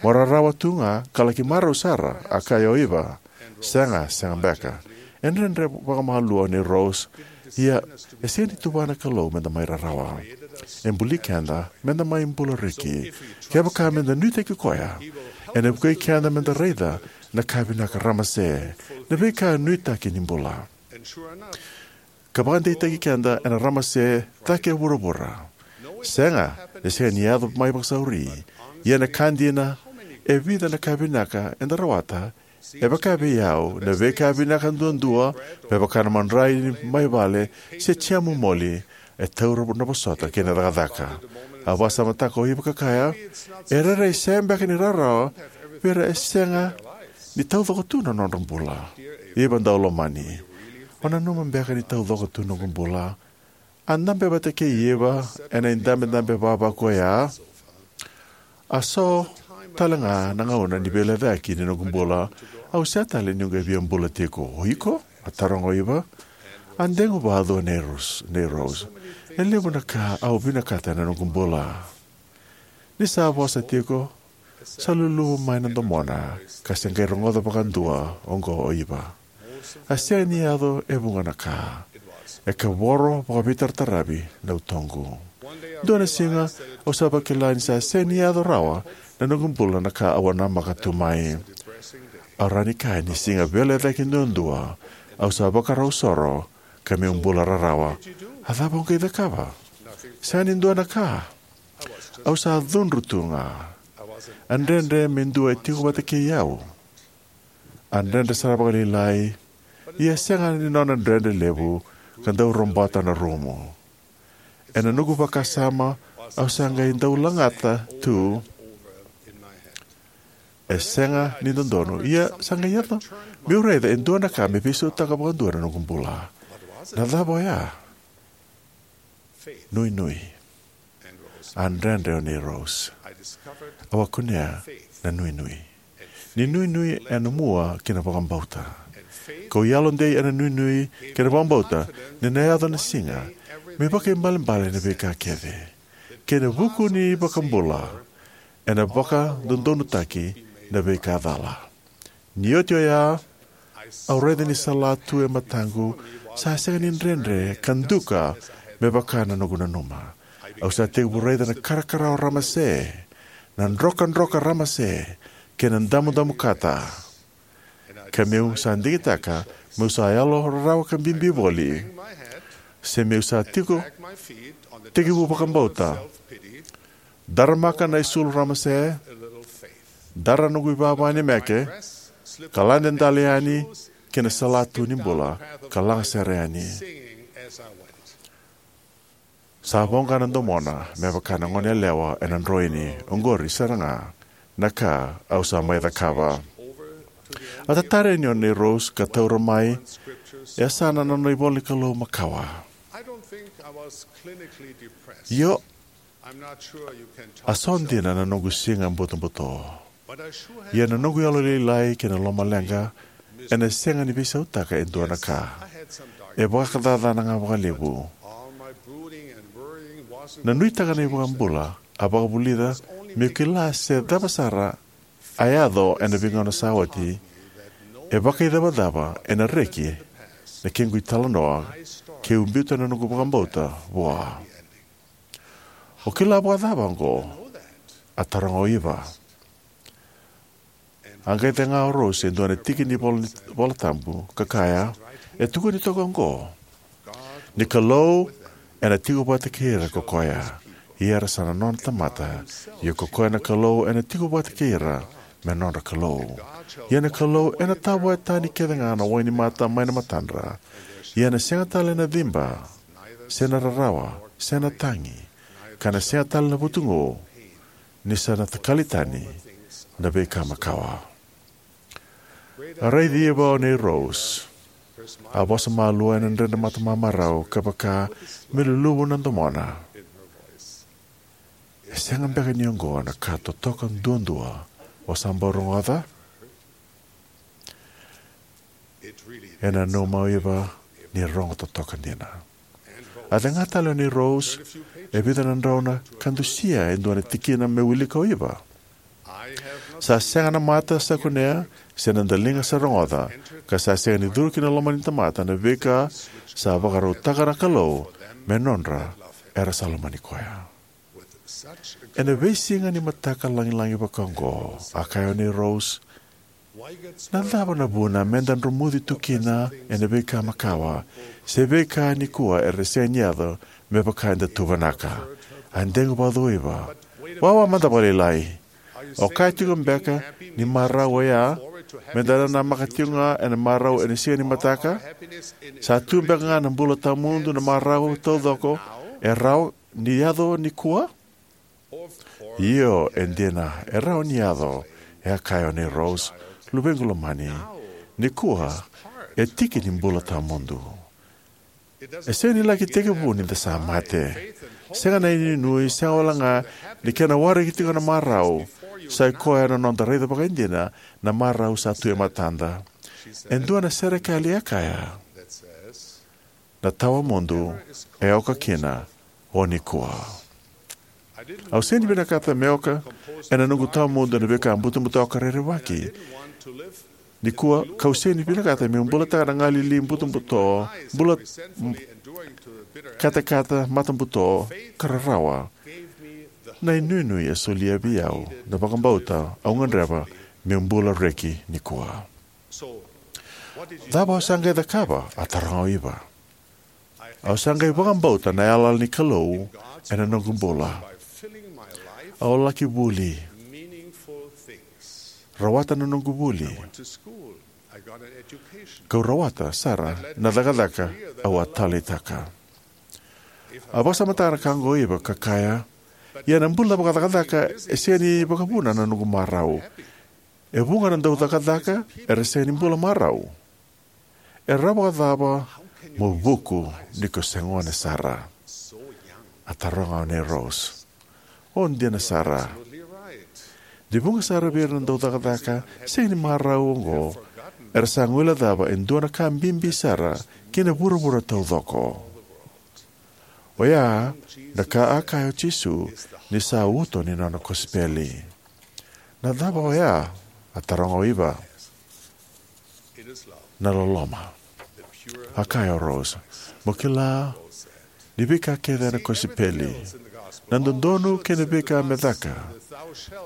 mo rarawa tu ga ka laki marau sara, a kaya o Iva. Sega, sega beka. E dredre vakamalua nei Rose, ia e sega ni tuvana na Kalou meda mai rarawa. E buli keda meda mai bula reki. Kevaka meda nuitaki koya, ena vukei keda meda raica na ka vinaka, ramase na veika nuitaki ni bula. Ka vakadeitaki keda ena ramase cake e vuravura. Sega, e sega ni yaco mai vakasauri. Ia na ka dina, e vica na ka vinaka eda rawata, e vaka vei au, na veika vinaka duadua, me vaka na madrai ni mai vale, se jam moli, e taura na vosota kei na cakacaka. A vakasamataka o Iva ka kaya, e rairai sega beka ni rawarawa vei ira e sega ni taucoko tu na nodra bula. Iva daulomani, o nanuma beka ni taucoko tu noqu bula? A dabe vata kei Iva ena idabedabe vavaku oya. A so tale ga na gauna ni veilecayaki ni noqu bula, au sega tale ni qai via bula tiko. O iko? A taroga o Iva. A deguvacu o nei Rose, nei Rose. E levu na ka au vinakata ena noqu bula. Ni sa vosa tiko, sa luluvu mai na domona, ka se qai rogoca vakadua oqo o Iva. A sega ni yaco e vuqa na ka. E kavoro vakaveitarataravi na utoqu. Dua na siga, au sa vakila ni sa sega ni yaco rawa na noqu bula na ka au a namaka tu mai. Au rawa ni kaya ni siga veilecayaki duadua, au sa vakarau soro, ka meu bula rarawa. A cava au qai cakava? Sega ni dua na ka. Au sa cudru tu ga. A dredre me dua e tiko vata kei au. A dredre sara vakalailai, ia sega ni nona dredre levu ka dau robota na rumu. Ena noqu vakasama, au sa qai dau lagata tu. E sega ni dodonu, ia sa qai yaco meu raica e dua na ka me veisautaka vakadua na noqu bula. Na cava oya? Nuinui. A dredre o nei Rose. Au a kunea na nuinui. Ni nuinui ena mua kina vakabauta. Kau yalodei ena nuinui kei na vakabauta ni na yaco na siga me vakaibalebale na veika kece. Kei na vuku ni vakabula ena vakadodonutaki na veika cala. Ni oti oya, au raica ni salatu e mataqu sa sega ni dredre ka duka me vaka na noqu nanuma. Au sa tekivu raica na karakarawa ramase, na drokadroka ramase, kei na damudamu kata. Ka meu sa digitaka meu sa yalo rarawa ka bibi voli, se meu sa tiko tekivu vakabauta. Daramaka na isulu ramase, dara noqu ivava ni meke, ka lade dale yani ki na salatu ni bula, ka lagasere yani. Sa voqa na domona me vaka na gone yalewa ena droini. Oqori sara ga na ka au sa mai cakava. A tatara yani o nei Rose ka taura mai e yasana na nona ivola ni Kalou makawa. Io, a so dina na noqu siga butobuto. Ia na noqu yalolailai kei na lomaleqa ena sega ni veisautaka e dua na ka. E vakacacana ga vakalevu. Na nuitaka na iVakabula a vakavulica meu kila se cava sara a yaco ena veigauna sa oti. E vakaicavacava ena reki na kequ italanoa keu biuta na noqu vakabauta vua. O kila vakacava oqo? A taroga o Iva. A qai cega o Rose e dua na tiki ni vola, vola tabu ka kaya, e tukuni toka oqo: Ni Kalou ena tiko vata kei ira ko koya, ia era sa na nona tamata, ia ko koya na Kalou ena tiko vata kei ira me nodra Kalou. Ia na Kalou ena tavoya tani kece ga na wai ni mata mai na matadra, ia ena sega tale na ciba, se na rarawa, se na tagi, ka na sega tale na vutugu, ni sa na takali tani na veika makawa. A raici Iva o nei Rose. A vosa malua ena dredre matamamarau ka vaka me luluvu na domona. E sega beka ni oqo na ka totoka duadua o sa bau rogoca? E nanuma o Iva ni rogo totoka dina. A cega tale o nei Rose e vica na drau na ka dusia e dua na tikina me wilika o Iva. Sa sega na mata sa kunea, se na daliga sa rogoca, ka sa sega ni curu ki na loma ni tamata na veika sa vakarautaka na Kalou me nodra era sa lomani koya. Ena veisiga ni mataka lagilagi vaka oqo, a kaya o nei Rose, na cava na vuna meda dromuci tu kina ena veika makawa, se veika nikua era sega ni yaco me vaka eda tu vinaka? A degu vauci o Iva. Wawa mada vakalailai. O kaya tiko beka ni marau oya, meda namaka tiko ga ena marau ena siga ni mataka? Sa tu beka ga na bula tawamudu na marau taucoko e rawa ni yaco nikua? Io, e dina, e rawa ni yaco, e a kaya o nei Rose, luvequ lomani. Nikua, e tiki ni bula tawamudu. E sega ni laki tekivu ni da sa mate. Sega na inuinui, sega wale ga ni kena waraki tiko na marau. Sa i koya na noda raica vakaidina na marau sa tu e matada. E dua na serekali e kaya, na tawamudu e oka kina o nikua. Au sega ni vinakata me oka ena noqu tawamudu na veika butobuto ka rerevaki. Nikua, kau sega ni vinakata meu bulataka na galili butobuto, bula katakata matabuto ka rarawa. Na inuinui e solia vei au na vakabauta au gadreva meu bula reki nikua. Cava o sa qai cakava? A taroga o Iva. Au sa qai vakabauta na yalayala ni Kalou ena noqu bula. Au laki vuli, rawata na noqu vuli, kau rawata sara na cakacaka au a taleitaka. A vakasamataka na ka oqo o Iva ka kaya, ia na bula vakacakacaka e sega ni vakavuna na noqu marau. E vuqa na dau cakacaka era sega ni bula marau. E rawa vakacava mo vuku ni ko se gone sara? A taroga o nei Rose. O dina sara. Ni vuqa sara vei ira na dau cakacaka sega ni marau oqo, era sa guilecava e dua na ka bibi sara ki na vuravura taucoko. Oya na ka a kaya o Jisu ni sa uto ni nona kosipeli. Na cava oya? A taroga o Iva. Na loloma. A kaya o Rose, mo kila ni veika kece ena kosipeli, na dodonu kei na veika me caka,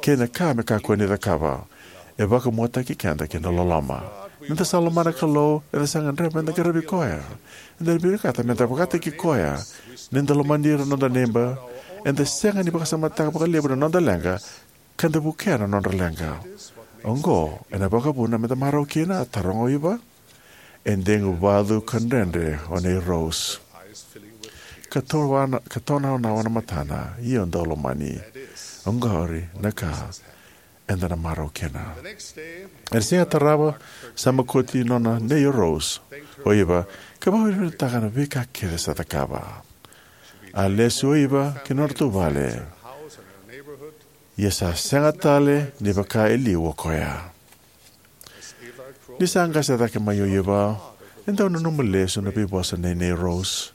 kei na ka me kakua ni cakava, e vakamuataki keda ki na loloma. Ni da sa lomana na Kalou, eda sa gadreva meda qaravi koya. Eda na vinakata meda vakataki koya. Ni da lomani ira na noda neiba, eda sega ni vakasamataka vakalevu na noda leqa, ka da vukea na nodra leqa. Oqo ena vakavuna meda marau kina? A taroga o Iva. E degu vacu ka dredre o nei Rose, ka tonaonawa na matana. Io, daulomani, oqori na ka eda na marau kina. Ena siga tarava, sa makoti nona nei o Rose o Iva, ka vakavinavinakataka na veika kece sa cakava. A lesu o Iva ki na nodratou vale. Ia sa sega tale ni vaka e liu o koya. Ni sa qase cake mai o Iva, e dau nanuma lesu na veivosa nei nei Rose.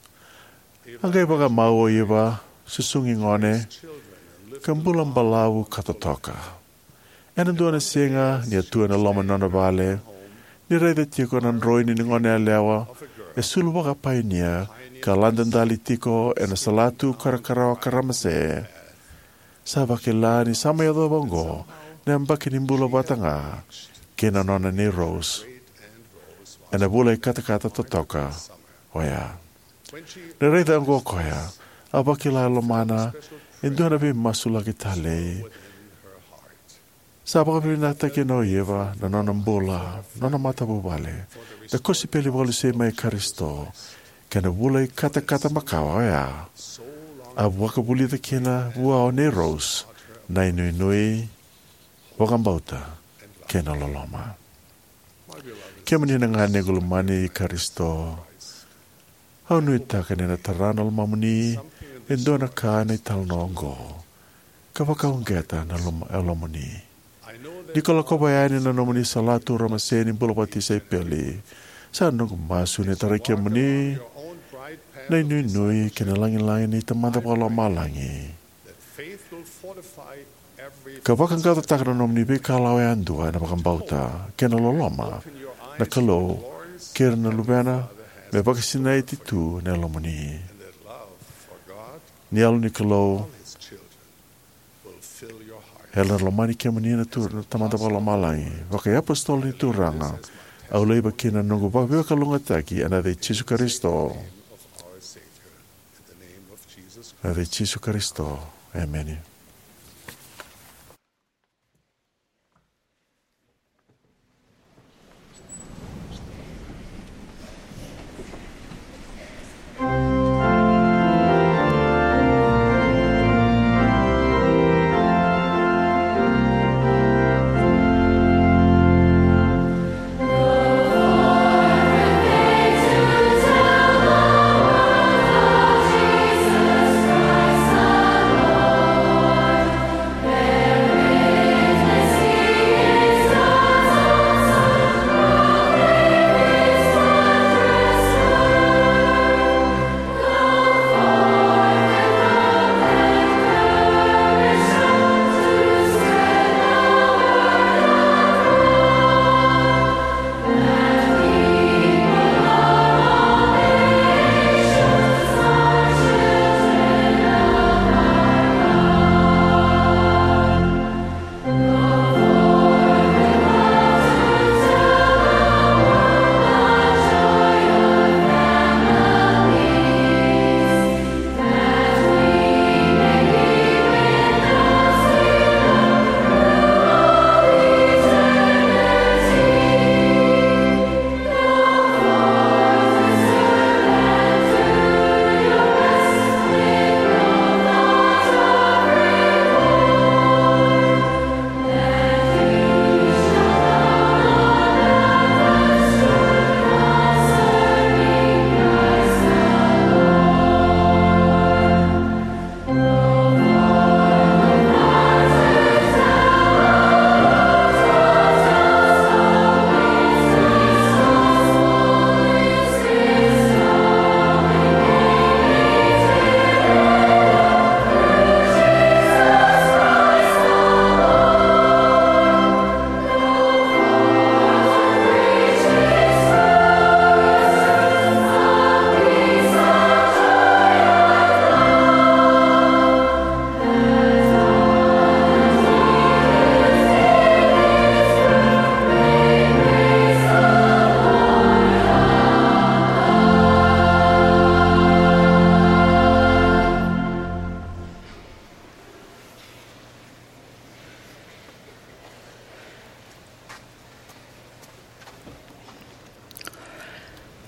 A qai vakamau o Iva, susugi gone, ka bula balavu ka totoka. Ena dua na siga, ni a tu ena loma ni nona vale, ni raica tiko na droini ni gone yalewa e sulu vakapainia ka ladadali tiko ena salatu karakarawa ka ramase, sa vakila ni sa mai yacova oqo na yabaki ni bula vata ga kei na nona nei Rose ena vula ikatakata totoka oya. Ni raica oqo o koya, a vakila e lomana e dua na veimasulaki talei. Sa vakavinavinakataka kina o Iva na nona bula, nona matavuvale, na kosipeli vakalesui mai Karisito, kei na vula ikatakata makawa oya. A vakavulica kina vua o nei Rose na inuinui, vakabauta kei na loloma. Kemuni na ganequ lomani Karisito, au nuitaka ni na tara na lomamuni e dua na ka ena italanoa oqo ka vakauqeta na loma, e lomamuni. Ni ko lakova yani na nomuni salatu ramase ni bula vakatisaipeli, sa noqu masu ni tarai kemuni na inuinui kei na lagilagi ni Tamada Vakalomalagi, ka vakaqaqacotaka na nomuni veikalawa yadua ena vakabauta kei na loloma na Kalou kei ira na luvena, me vakasinaiti tu na yalomuni. Ni Yalo ni Kalou, ena lomani kemuni na Turaga, na Tamada Vakalomalagi. Vakaiapositolo ni Turaga, au laiva kina na noqu vakaveiwakalugataki ena yaca i Jisu Karisito. Ena yaca i Jisu Karisito. Emeni.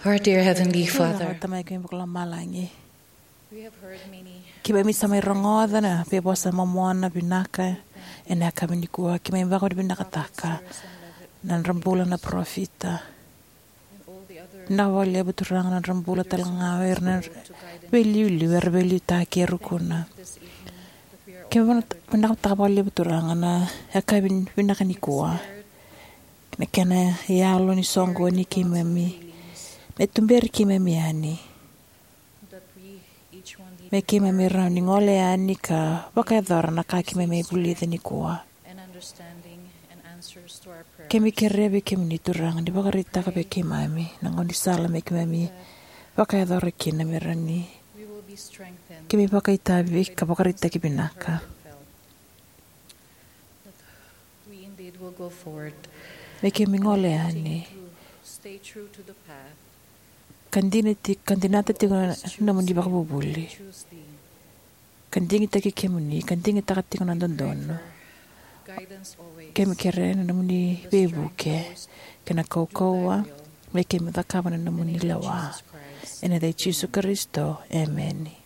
Our dear Heavenly Father, Tamai keimami vakalomalagi, we have heard many keimami sa mai rogoca na veivosa momona vinaka ena yakavi nikua. Keimami vakavinavinakataka na nodra bula na parofita, vinaka vakalevu Turaga na nodra bula tale ga o ira na veiliuliu era veiliutaki e Rukuna. Keimami vakavinavinakataka vakalevu Turaga na yakavi vinaka nikua, na kena yalo ni soqoni keimami, me tuberi keimami yani, me keimami rawa ni gole yani ka vakayacora na ka keimami vulica nikua. Keimami kerea vei kemuni Turaga ni vakaraitaka vei keimami na gaunisala me keimami vakayacora kina, me rawa ni keimami vakaitavi ka vakaraitaki vinaka. Me keimami gole yani ka dina ti-, ka dinata tiko na nomuni vakavuvuli, ka digitaki kemuni, ka digitaka tiko na dodonu. Keimami kerea na nomuni veivuke kei na kaukauwa me keimami cakava na nomuni lewa. Ena yaca i Jisu Karisito, emeni.